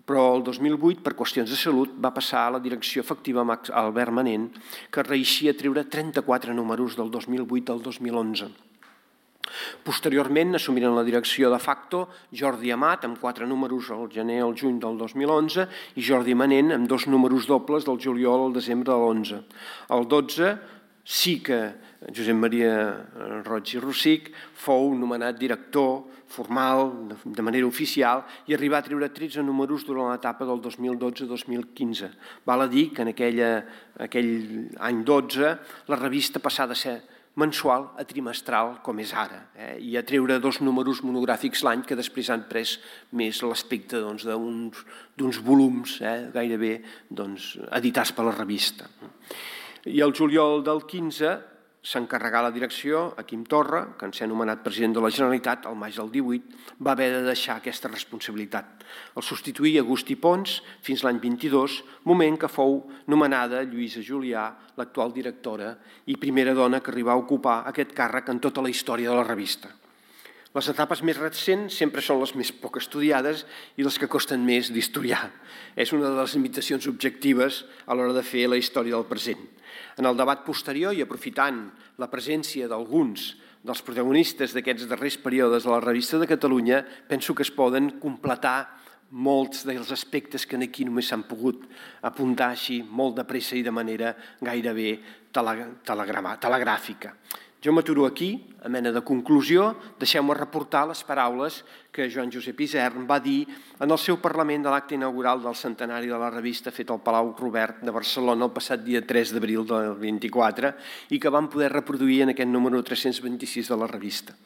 però el 2008, per qüestions de salut, va passar a la direcció efectiva amb Albert Manent, que reeixia treure 34 números del 2008 al 2011. Posteriorment assumiren la direcció de facto Jordi Amat, amb 4 números al gener al juny del 2011, i Jordi Manent, amb 2 números dobles del juliol al desembre de l'11. El 12 sí que Josep Maria Roig i Rossich fou nomenat director formal, de manera oficial, i arribà a treure 13 números durant l'etapa del 2012-2015. Val a dir que en aquell any 12 la revista passà de ser mensual a trimestral, com és ara, i a treure 2 números monogràfics l'any que després han pres més l'aspecte d'uns volums gairebé editats per la revista. I el juliol del 15 s'encarregà la direcció a Quim Torra, que en ser nomenat president de la Generalitat al maig del 18, va haver de deixar aquesta responsabilitat. El substituí Agustí Pons fins l'any 22, moment que fou nomenada Lluïsa Julià, l'actual directora i primera dona que arribà a ocupar aquest càrrec en tota la història de la revista. Les etapes més recents sempre són les més poc estudiades i les que costen més d'historiar. És una de les limitacions objectives a l'hora de fer la història del present. En el debat posterior i aprofitant la presència d'alguns dels protagonistes d'aquests darrers períodes de la Revista de Catalunya, penso que es poden completar molts dels aspectes que aquí només s'han pogut apuntar així molt de pressa i de manera gairebé telegràfica. Jo m'aturo aquí, a mena de conclusió, deixeu-me reportar les paraules que Joan Josep Isern va dir en el seu Parlament de l'acte inaugural del centenari de la revista fet al Palau Robert de Barcelona el passat dia 3 d'abril del 24 i que vam poder reproduir en aquest número 326 de la revista.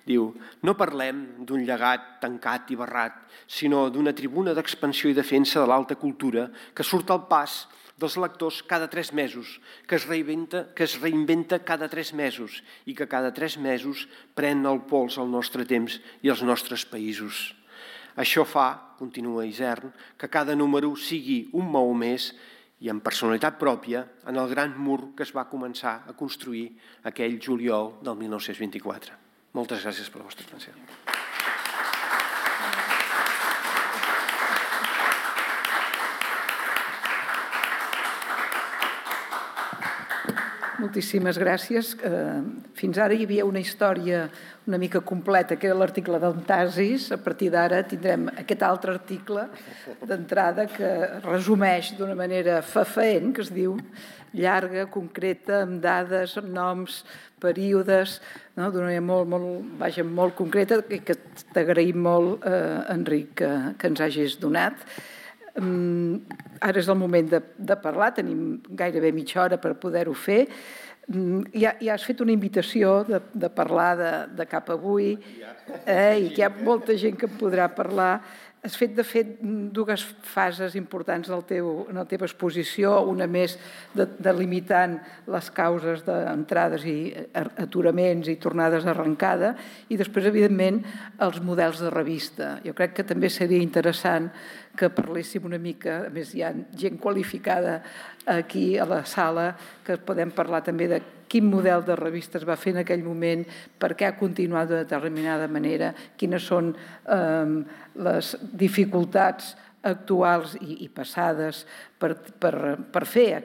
Diu, no parlem d'un llegat tancat i barrat, sinó d'una tribuna d'expansió i defensa de l'alta cultura que surt al pas dels lectors cada 3 mesos, que es reinventa cada 3 mesos i que cada 3 mesos pren el pols al nostre temps i als nostres països. Això fa, continua Isern, que cada número sigui un maó més i amb personalitat pròpia en el gran mur que es va començar a construir aquell juliol del 1924. Moltes gràcies per la vostra atenció. Moltíssimes gràcies. Fins ara hi havia una història una mica completa, que era l'article d'Antasis. A partir d'ara tindrem aquest altre article d'entrada que resumeix d'una manera fefaent, que es diu llarga, concreta, amb dades, amb noms, períodes, d'una manera molt concreta, i que t'agraïm molt, Enric, que ens hagis donat. Ara és el moment de parlar, tenim gairebé mitja hora per poder-ho fer. Ja has fet una invitació de parlar de cap avui i que hi ha molta gent que en podrà parlar. Has fet, de fet, 2 fases importants en la teva exposició, una més delimitant les causes d'entrades i aturaments i tornades d'arrencada, i després, evidentment, els models de revista. Jo crec que també seria interessant que parléssim una mica, a més hi ha gent qualificada aquí a la sala, que podem parlar també de quin model de revista es va fer en aquell moment, per què ha continuat de determinada manera, quines són les dificultats actuals i passades per fer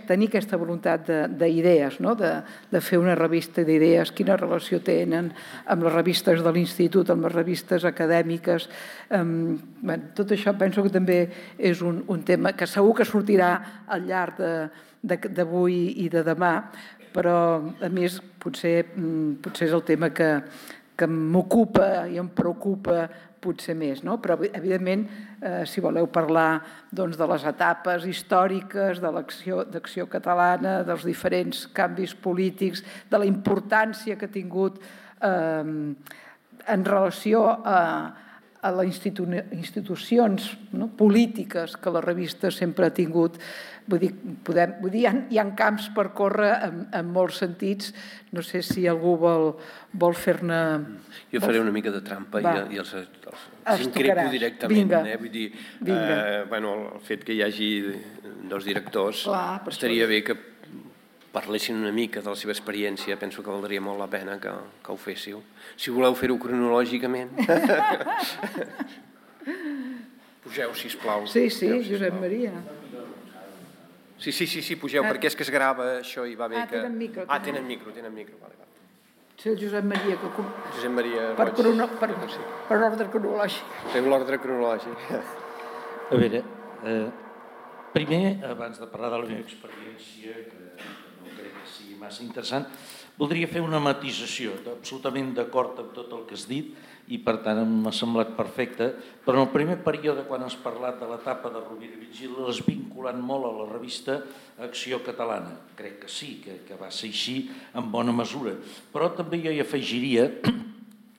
tenir aquesta voluntat d'idees, de fer una revista d'idees, quina relació tenen amb les revistes de l'institut, amb les revistes acadèmiques. Tot això penso que també és un tema que segur que sortirà al llarg d'avui i de demà, però a més potser és el tema que m'ocupa i em preocupa potser més, però evidentment si voleu parlar de les etapes històriques de l'acció catalana, dels diferents canvis polítics, de la importància que ha tingut en relació a les institucions polítiques que la revista sempre ha tingut. Vull dir, hi ha camps per córrer en molts sentits. No sé si algú vol fer-ne... Jo faré una mica de trampa i els increpo directament. Vull dir, el fet que hi hagi dos directors, estaria bé que parlessin una mica de la seva experiència. Penso que valdria molt la pena que ho féssiu. Si voleu fer-ho cronològicament. Pugeu, sisplau. Sí, Josep Maria. Sí, pugeu, perquè és que es grava això i va bé que... Tenen micro. Tenen micro. Vale. Sí, el Josep Maria. Josep Maria... Per ordre cronològic. Fem l'ordre cronològic. A veure, primer, abans de parlar de la meva experiència, que no crec que sigui massa interessant, voldria fer una matisació, absolutament d'acord amb tot el que has dit, i per tant m'ha semblat perfecte, però en el primer període, quan has parlat de l'etapa de Rovira i Virgili, l'has vinculat molt a la revista Acció Catalana. Crec que sí, que va ser així en bona mesura. Però també jo hi afegiria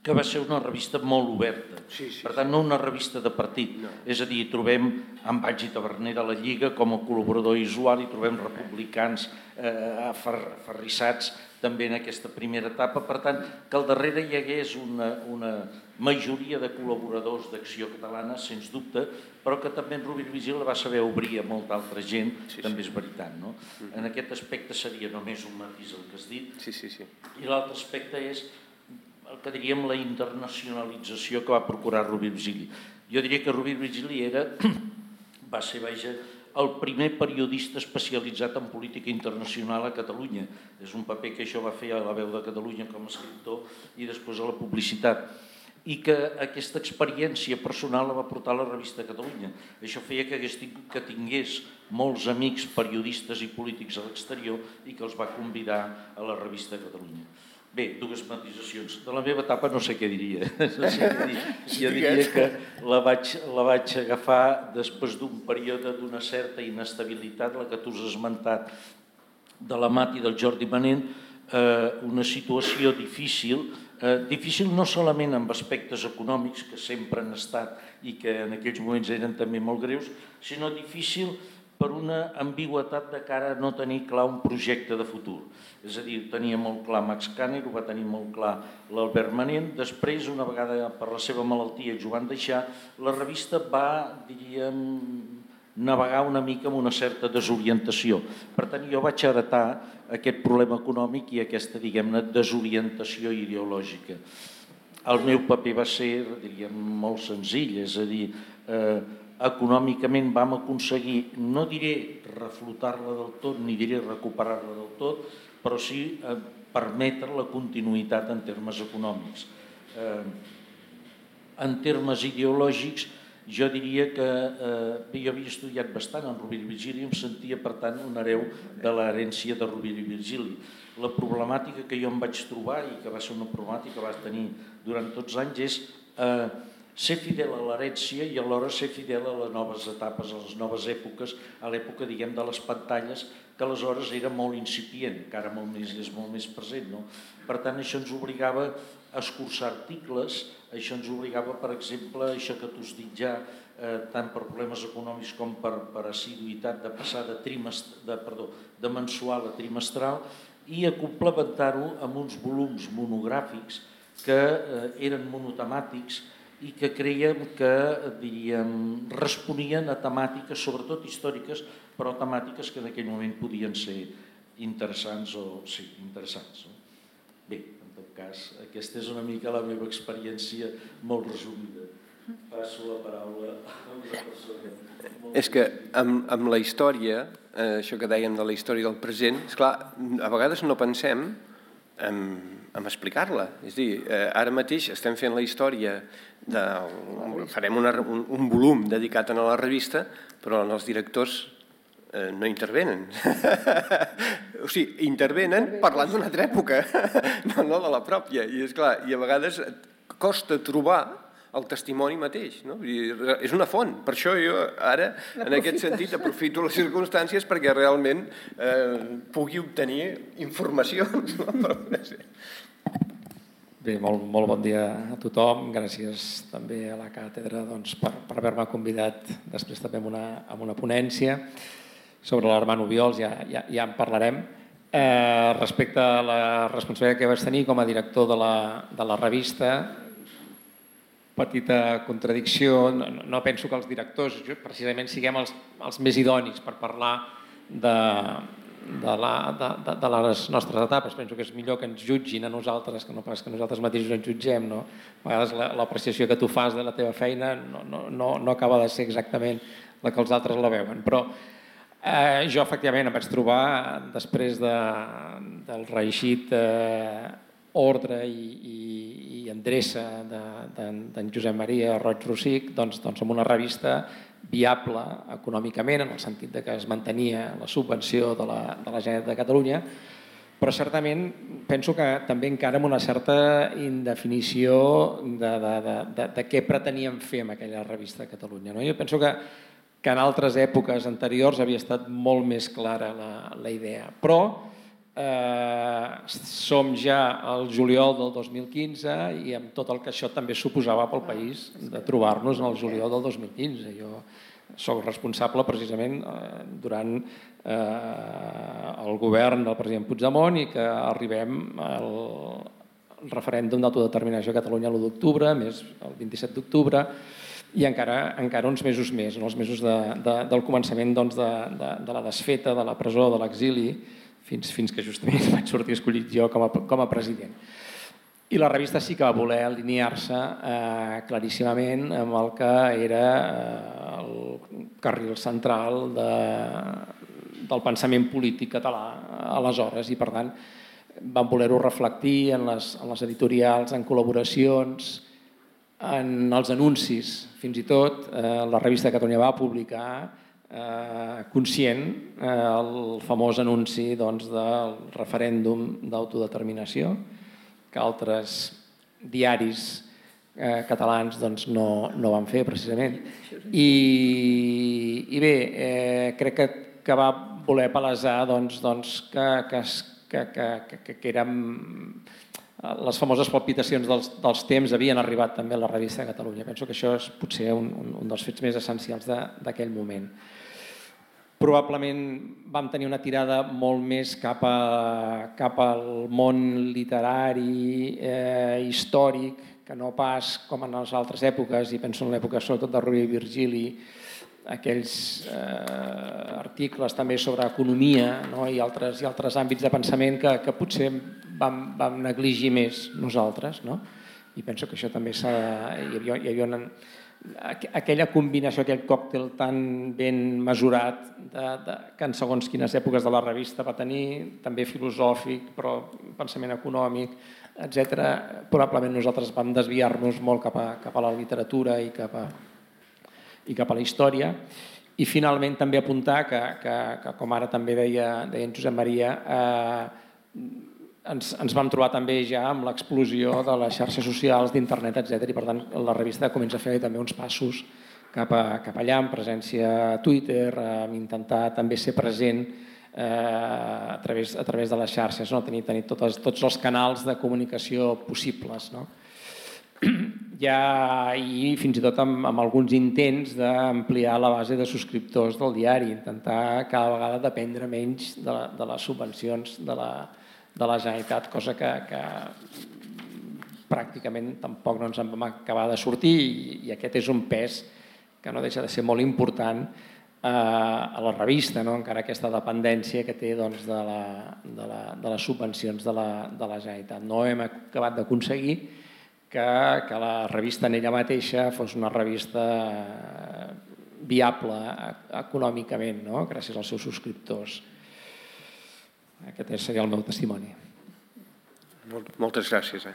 que va ser una revista molt oberta. Per tant, no una revista de partit. És a dir, trobem en Batge i Taverner de la Lliga com a col·laborador i usuari, trobem republicans aferrissats també en aquesta primera etapa. Per tant, que al darrere hi hagués una majoria de col·laboradors d'Acció Catalana, sens dubte, però que també en Rovira i Virgili va saber obrir a molta altra gent, també és veritat, no? En aquest aspecte seria només un matís el que has dit. I l'altre aspecte és el que diríem la internacionalització que va procurar Rovira i Virgili. Jo diria que Rovira i Virgili va ser, el primer periodista especialitzat en política internacional a Catalunya. És un paper que això va fer a La Veu de Catalunya com a escriptor i després a la publicitat. I que aquesta experiència personal la va portar a la revista Catalunya. Això feia que tingués molts amics periodistes i polítics a l'exterior i que els va convidar a la revista Catalunya. Bé, dues matisacions. De la meva etapa no sé què diria. Jo diria que la vaig agafar després d'un període d'una certa inestabilitat, la que tu has esmentat, de la Mati i del Jordi Manent, una situació difícil no solament amb aspectes econòmics, que sempre han estat i que en aquells moments eren també molt greus, sinó difícil per una ambigüetat de cara a no tenir clar un projecte de futur. És a dir, tenia molt clar Max Kanner, ho va tenir molt clar l'Albert Manent. Després, una vegada per la seva malaltia ells ho van deixar, la revista va, diríem, navegar una mica amb una certa desorientació. Per tant, jo vaig heretar aquest problema econòmic i aquesta, diguem-ne, desorientació ideològica. El meu paper va ser, diríem, molt senzill, és a dir, econòmicament vam aconseguir, no diré reflotar-la del tot, ni diré recuperar-la del tot, però sí permetre la continuïtat en termes econòmics. En termes ideològics, jo diria que jo havia estudiat bastant en Rovira i Virgili i em sentia, per tant, un hereu de l'herència de Rovira i Virgili. La problemàtica que jo em vaig trobar, i que va ser una problemàtica que va tenir durant tots anys, és ser fidel a l'herència i alhora ser fidel a les noves etapes, a les noves èpoques, a l'època, diguem, de les pantalles, que aleshores era molt incipient, que ara és molt més present, no? Per tant, això ens obligava a escurçar articles, això ens obligava, per exemple, això que tu has dit ja, tant per problemes econòmics com per assiduïtat, de passar de mensual a trimestral i a complementar-ho amb uns volums monogràfics que eren monotemàtics i que creiem que, diríem, responien a temàtiques, sobretot històriques, però temàtiques que en aquell moment podien ser interessants o sí, interessants. Bé, en tot cas, aquesta és una mica la meva experiència molt resumida. Passo la paraula a una persona. És que amb la història, això que dèiem de la història del present, esclar, a vegades no pensem en explicar-la. És a dir, ara mateix estem fent la història, farem un volum dedicat a la revista, però els directors no intervenen. O sigui, intervenen parlant d'una altra època, no de la pròpia. I esclar, i a vegades costa trobar el testimoni mateix, no? És una font. Per això jo ara, en aquest sentit, aprofito les circumstàncies perquè realment pugui obtenir informacions. Bé, molt bon dia a tothom. Gràcies també a la càtedra per haver-me convidat després també a una ponència sobre l'Armand Obiols, ja en parlarem. Respecte a la responsabilitat que vaig tenir com a director de la revista, petita contradicció, no penso que els directors precisament siguem els més idonis per parlar de les nostres etapes. Penso que és millor que ens jutgin a nosaltres que no pas que nosaltres mateixos ens jutgem. A vegades l'apreciació que tu fas de la teva feina no acaba de ser exactament la que els altres la veuen. Però jo efectivament em vaig trobar, després del reeixit ordre i endreça d'en Josep Maria Roig Rosic, amb una revista viable econòmicament, en el sentit que es mantenia la subvenció de la Generalitat de Catalunya, però certament penso que també encara amb una certa indefinició de què preteníem fer amb aquella revista de Catalunya. Jo penso que en altres èpoques anteriors havia estat molt més clara la idea, però som ja al juliol del 2015 i amb tot el que això també suposava pel país de trobar-nos en el juliol del 2015. Jo soc responsable precisament durant el govern del president Puigdemont i que arribem al referèndum d'autodeterminació a Catalunya l'1 d'octubre, més el 27 d'octubre, i encara uns mesos més, els mesos del començament de la desfeta, de la presó, de l'exili, fins que justament vaig sortir escollit jo com a president. I la revista sí que va voler alinear-se claríssimament amb el que era el carril central del pensament polític català aleshores, i per tant vam voler-ho reflectir en les editorials, en col·laboracions, en els anuncis, fins i tot la revista de Catalunya va publicar conscient el famós anunci del referèndum d'autodeterminació, que altres diaris catalans no van fer precisament. I bé, crec que va voler palesar que érem les famoses palpitacions dels temps havien arribat també a la revista de Catalunya. Penso que això és potser un dels fets més essencials d'aquell moment. Probablement vam tenir una tirada molt més cap al món literari, històric, que no pas com en les altres èpoques, i penso en l'època sobretot de Rovira i Virgili, aquells articles també sobre economia i altres àmbits de pensament que potser vam negligir més nosaltres. I penso que això també hi havia aquella combinació, aquell còctel tan ben mesurat que en segons quines èpoques de la revista va tenir, també filosòfic, però pensament econòmic, etc. Probablement nosaltres vam desviar-nos molt cap a la literatura i cap a la història. I finalment també apuntar que com ara també deia en Josep Maria, ens vam trobar també ja amb l'explosió de les xarxes socials, d'internet, etc. I per tant la revista comença a fer també uns passos cap allà, amb presència a Twitter, amb intentar també ser present a través de les xarxes, tenir tots els canals de comunicació possibles. I fins i tot amb alguns intents d'ampliar la base de subscriptors del diari, intentar cada vegada dependre menys de les subvencions de la Generalitat, cosa que pràcticament tampoc no ens en vam acabar de sortir, i aquest és un pes que no deixa de ser molt important a la revista, encara aquesta dependència que té de les subvencions de la Generalitat. No hem acabat d'aconseguir que la revista en ella mateixa fos una revista viable econòmicament, gràcies als seus subscriptors. Aquest seria el meu testimoni. Moltes gràcies.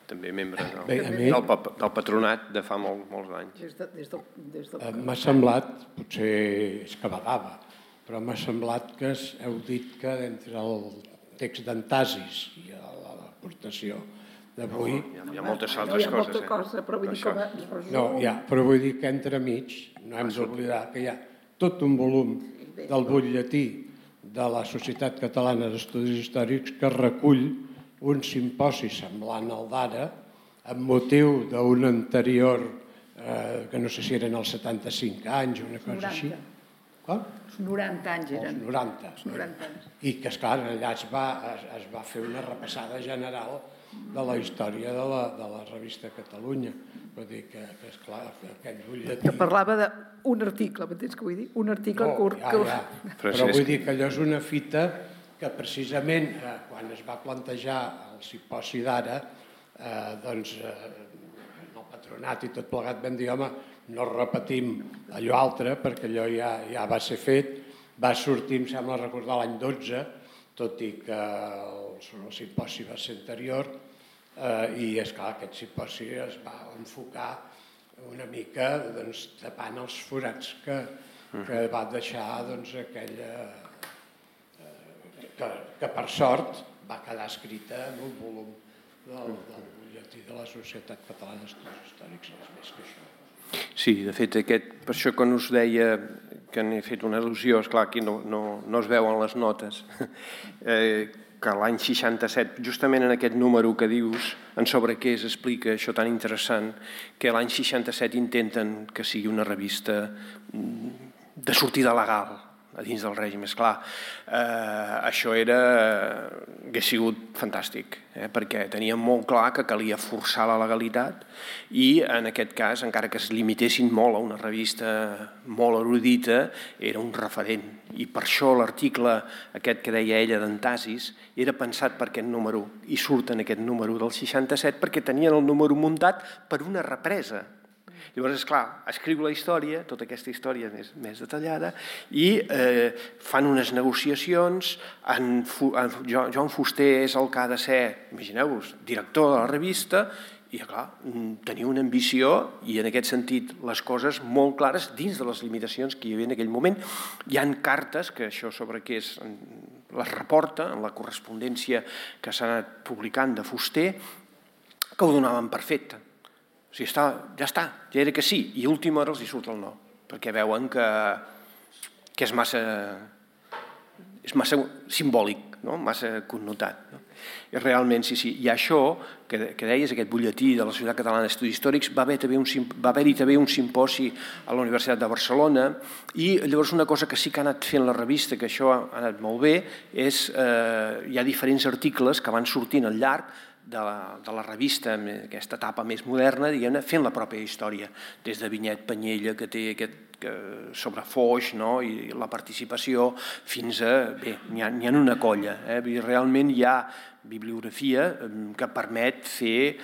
També membre del patronat de fa molts anys. M'ha semblat, potser és que badava, però m'ha semblat que heu dit que entre el text d'Antasis i l'aportació d'avui... Hi ha moltes altres coses. Hi ha molta cosa, però vull dir que es resum... No, però vull dir que entremig no hem d'oblidar que hi ha tot un volum del butlletí de la Societat Catalana d'Estudis Històrics que recull un simposi semblant al d'ara amb motiu d'un anterior, que no sé si eren els 75 anys o una cosa així. Com? Els 90 anys eren. Els 90. I que, esclar, allà es va fer una repassada general de la història de la revista Catalunya. Vull dir que esclar, aquest butlletí... Que parlava d'un article, m'entens què vull dir? Un article curt. Ja. Però vull dir que allò és una fita que precisament quan es va plantejar el simposi d'ara, doncs el patronat i tot plegat vam dir, home, no repetim allò altre perquè allò ja va ser fet, va sortir, em sembla recordar, l'any 12, tot i que el simposi va ser anterior, i esclar, aquest simposi es va enfocar una mica tapant els forats que va deixar aquella... que per sort va quedar escrita en un volum del butlletí de la Societat Catalana d'Estudis Històrics, res més que això. Sí, de fet, per això quan us deia que n'he fet una al·lusió, esclar, aquí no es veuen les notes, que l'any 67, justament en aquest número que dius, en sobre què explica això tan interessant, que l'any 67 intenten que sigui una revista de sortida legal a dins del règim. Esclar, això hauria sigut fantàstic, perquè teníem molt clar que calia forçar la legalitat i en aquest cas, encara que es limitessin molt a una revista molt erudita, era un referent. I per això l'article aquest que deia ella d'Antasis era pensat per aquest número i surt en aquest número del 67 perquè tenien el número muntat per una represa. Llavors, esclar, escriu la història, tota aquesta història més detallada, i fan unes negociacions. Joan Fuster és el que ha de ser, imagineu-vos, director de la revista, i, clar, tenia una ambició i, en aquest sentit, les coses molt clares dins de les limitacions que hi havia en aquell moment. Hi ha cartes, que això sobre què és, les reporta en la correspondència que s'ha anat publicant de Fuster, que ho donaven per fet. O sigui, ja està, ja era que sí, i a última hora els hi surt el no, perquè veuen que és massa simbòlic, massa connotat. I realment, sí, i això que deies, aquest butlletí de la Societat Catalana d'Estudis Històrics, va haver-hi també un simposi a la Universitat de Barcelona, i llavors una cosa que sí que ha anat fent la revista, que això ha anat molt bé, és hi ha diferents articles que van sortint al llarg de la revista, aquesta etapa més moderna, diguem-ne, fent la pròpia història, des de Vinyet Panyella, que té sobre Foix, i la participació, fins a... Bé, n'hi ha una colla. Realment hi ha bibliografia que permet fer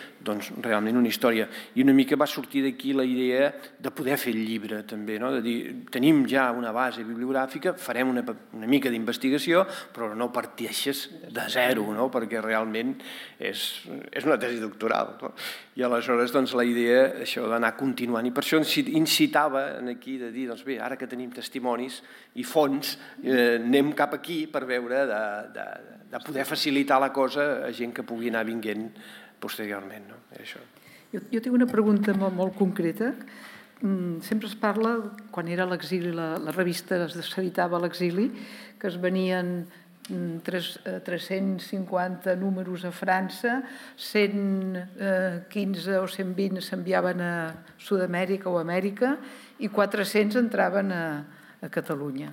realment una història. I una mica va sortir d'aquí la idea de poder fer el llibre, també, de dir, tenim ja una base bibliogràfica, farem una mica d'investigació, però no parteixes de zero, perquè realment és una tesi doctoral. I aleshores la idea això d'anar continuant, i per això incitava aquí de dir, bé, ara que tenim testimonis i fonts, anem cap aquí per veure de poder facilitar la cosa a gent que pugui anar vinguent posteriorment. Jo tinc una pregunta molt concreta. Sempre es parla, quan era a l'exili, la revista s'editava a l'exili, que es venien 350 números a França, 115 o 120 s'enviaven a Sud-amèrica o Amèrica i 400 entraven a Catalunya.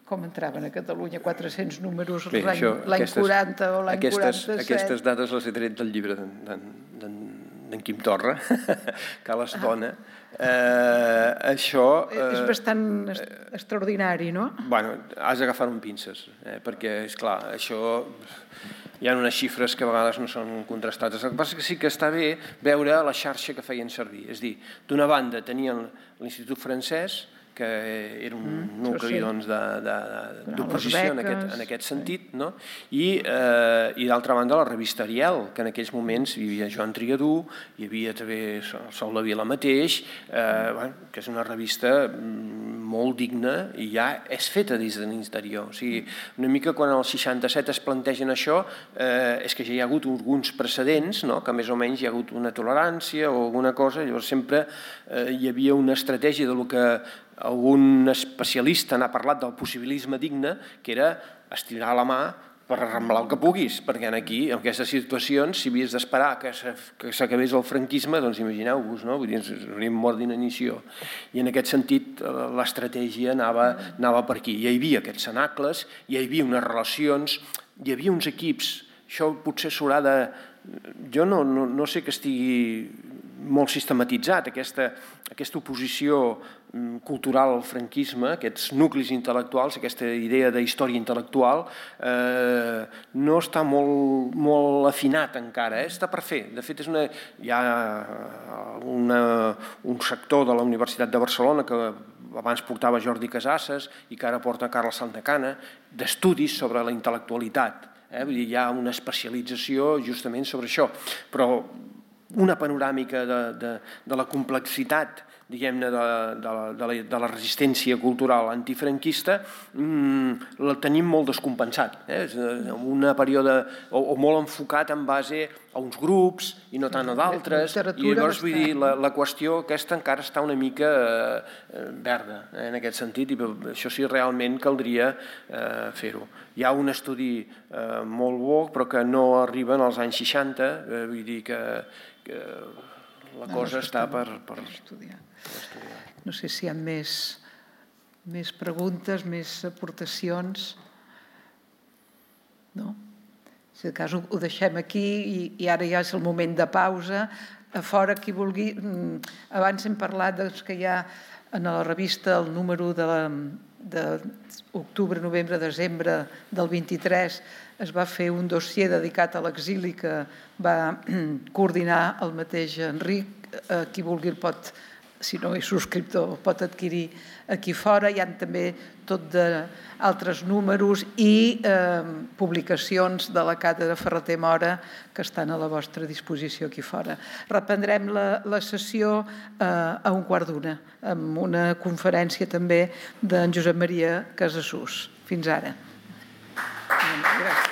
Com entraven a Catalunya 400 números l'any 40 o l'any 47? Aquestes dades les he tret del llibre d'en Quim Torra, que les dona. Això... És bastant extraordinari, no? Bueno, has d'agafar-ho amb pinces, perquè, esclar, això... Hi ha unes xifres que a vegades no són contrastades. El que passa és que sí que està bé veure la xarxa que feien servir. És a dir, d'una banda tenien l'Institut Francès, que era un nucli d'oposició en aquest sentit, i d'altra banda la revista Ariel, que en aquells moments hi havia Joan Triadú, hi havia també Sol de Vila mateix, que és una revista molt digna i ja és feta des de l'interior. O sigui, una mica quan al 67 es plantegen això, és que ja hi ha hagut alguns precedents, que més o menys hi ha hagut una tolerància o alguna cosa, llavors sempre hi havia una estratègia del que algun especialista n'ha parlat del possibilisme digne, que era estirar la mà per arramblar el que puguis, perquè aquí, en aquestes situacions, si havies d'esperar que s'acabés el franquisme, doncs imagineu-vos, no? Vull dir, ens hauríem mort d'inanició. I en aquest sentit, l'estratègia anava per aquí. Hi havia aquests cenacles, hi havia unes relacions, hi havia uns equips. Això potser s'haurà de... Jo no sé que estigui molt sistematitzat, aquesta oposició cultural al franquisme, aquests nuclis intel·lectuals, aquesta idea de història intel·lectual, no està molt afinat encara, està per fer. De fet, hi ha un sector de la Universitat de Barcelona que abans portava Jordi Casasses i que ara porta Carles Santacana, d'estudis sobre la intel·lectualitat. Hi ha una especialització justament sobre això, però una panoràmica de la complexitat, diguem-ne, de la resistència cultural antifranquista la tenim molt descompensat. És un període o molt enfocat en base a uns grups i no tant a d'altres, i llavors vull dir, la qüestió aquesta encara està una mica verda en aquest sentit, i això sí realment caldria fer-ho. Hi ha un estudi molt bo però que no arriba als anys 60, vull dir que la cosa està per estudiar. No sé si hi ha més preguntes, més aportacions. No? Si de cas ho deixem aquí i ara ja és el moment de pausa. A fora, qui vulgui... Abans hem parlat que hi ha en la revista el número d'octubre, novembre, desembre del 23 es va fer un dossier dedicat a l'exili que va coordinar el mateix Enric. Qui vulgui el pot, si no és subscriptor, el pot adquirir aquí fora. Hi ha també tot d'altres números i publicacions de la càtedra Ferrater Mora que estan a la vostra disposició aquí fora. Reprendrem la sessió a 1:15 amb una conferència també d'en Josep Maria Casassús. Fins ara. Gràcies.